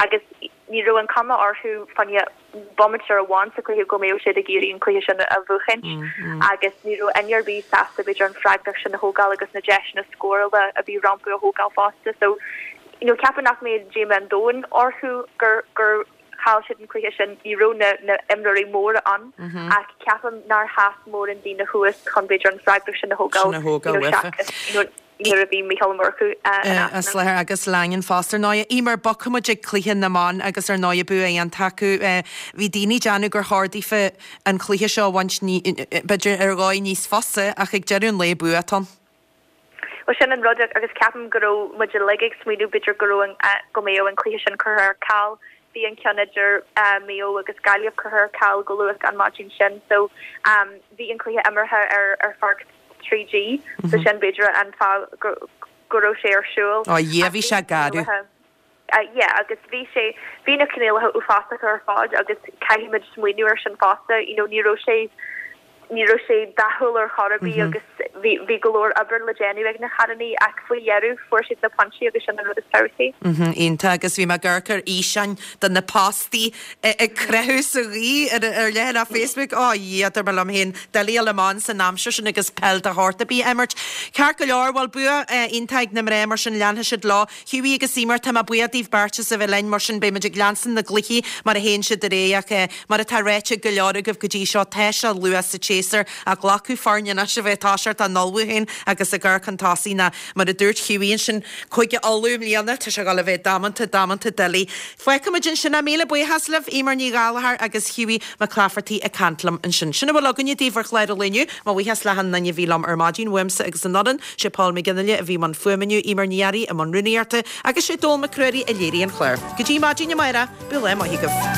agus ní raibh an cuma orthu fá choinne bomaite amháin sa chluiche go mbeadh siad ag iarraidh an cluiche sin a bhuachaint agus ní raibh éinne ar bith sásta b'fhéidir an freagracht sin a thógáil agus na deiseanna scórála a bhí rompu a thógáil fosta. So, you know, ceapaim nach mbeadh díomá an domhain orthu gur gur chaill siad an cluiche sin, ní raibh na na imreoirí móra ann ach ceapaim nár sheas mórán daoine thuas chun b'fhéidir an freagracht sin a thógáil, you know, seachas, you know, nuair a bhí Mícheál Ó Murchú in easnamh. I láthair agus Langan fosta ar ndóighe. Eimear, bogfaidh muid ag cluiche na mban agus ar ndóighe bua iontach acu. Bhí daoine ag déanamh gur chóir daofa an cluiche seo a bhaint b'fhéidir ar dhóigh níos fusa ach ag deireadh an lae bua atá ann. Bhuel sin an rud agus ceapaim go raibh muid uilig ag smaoineamh b'fhéidir go raibh an, go mbeadh an cluiche sin curtha ar ceal. Bhí an ceann idir Maigh Eo agus Gaillimh curtha ar ceal go luath an maidin sin so bhí an cluiche imeartha ar ar pháirc 3G so sin b'fhéidir an fáth go go raibh sé ar siúl. Ó Dhia bhí sé garbh. Yeah agus bhí sé, bhí na coinníollacha uafásacha ar fad agus caithfimid smaoineamh ar sin fosta, you know ní raibh sé, ní raibh sé dathúil ar chor ar bith agus bhí, bhí go leor obair le déanamh ag na cailíní ach faoi dheireadh fuair siad na pointí agus sin an rud is tábhachtaí. Iontach agus bhí mé ag amharc ar fhíseáin de na postaí ag croitheadh sa ghaoth ar ar leathanach Facebook, ó a Dhia, dúirt mé liom féin, doiligh a dhul amach san aimsir sin agus peil de shórt ar bith a imirt. Ceart go leor, bhuel bua iontach ag na mná mar sin leanfaidh siad leo. Hughie agus Eimear, tá mé buíoch daoibh beirt as a bheith linn, mar sin beidh muid ag leanstan na gcluichí mar a théann siad ar aghaidh ach mar atá ráite ag go leor agaibh go dtí seo, tá sé luath sa tséasúr ach glacadh foirne anois a bheith ag toiseacht á n-ullmhú féin agus ag amharc chun tosaigh ná mar a dúirt Hughie ansin, Cúige Uladh i mbliana, tá sé ag dul a bheith damanta, damanta doiligh. Fágfaidh muid ansin é. Míle buíochas libh, Eimear Ní Ghallchóir agus Hughie Mac Laifeartaigh ag caint liom ansin. Sin a bhfuil againne daoibh ar chlár an lae inniu. Mo bhuíochas le hachan duine a bhí liom ar maidin, uaimse agus an fhoireann. Sé Paul McGinley a bhí i mbun fuaime inniu, Eimear Ní Fhearraigh i mbun rúnaíochta agus sé Dónal Mac Ruairí a léirigh an clár. Go dtí maidin amárach, bíodh lá maith agaibh.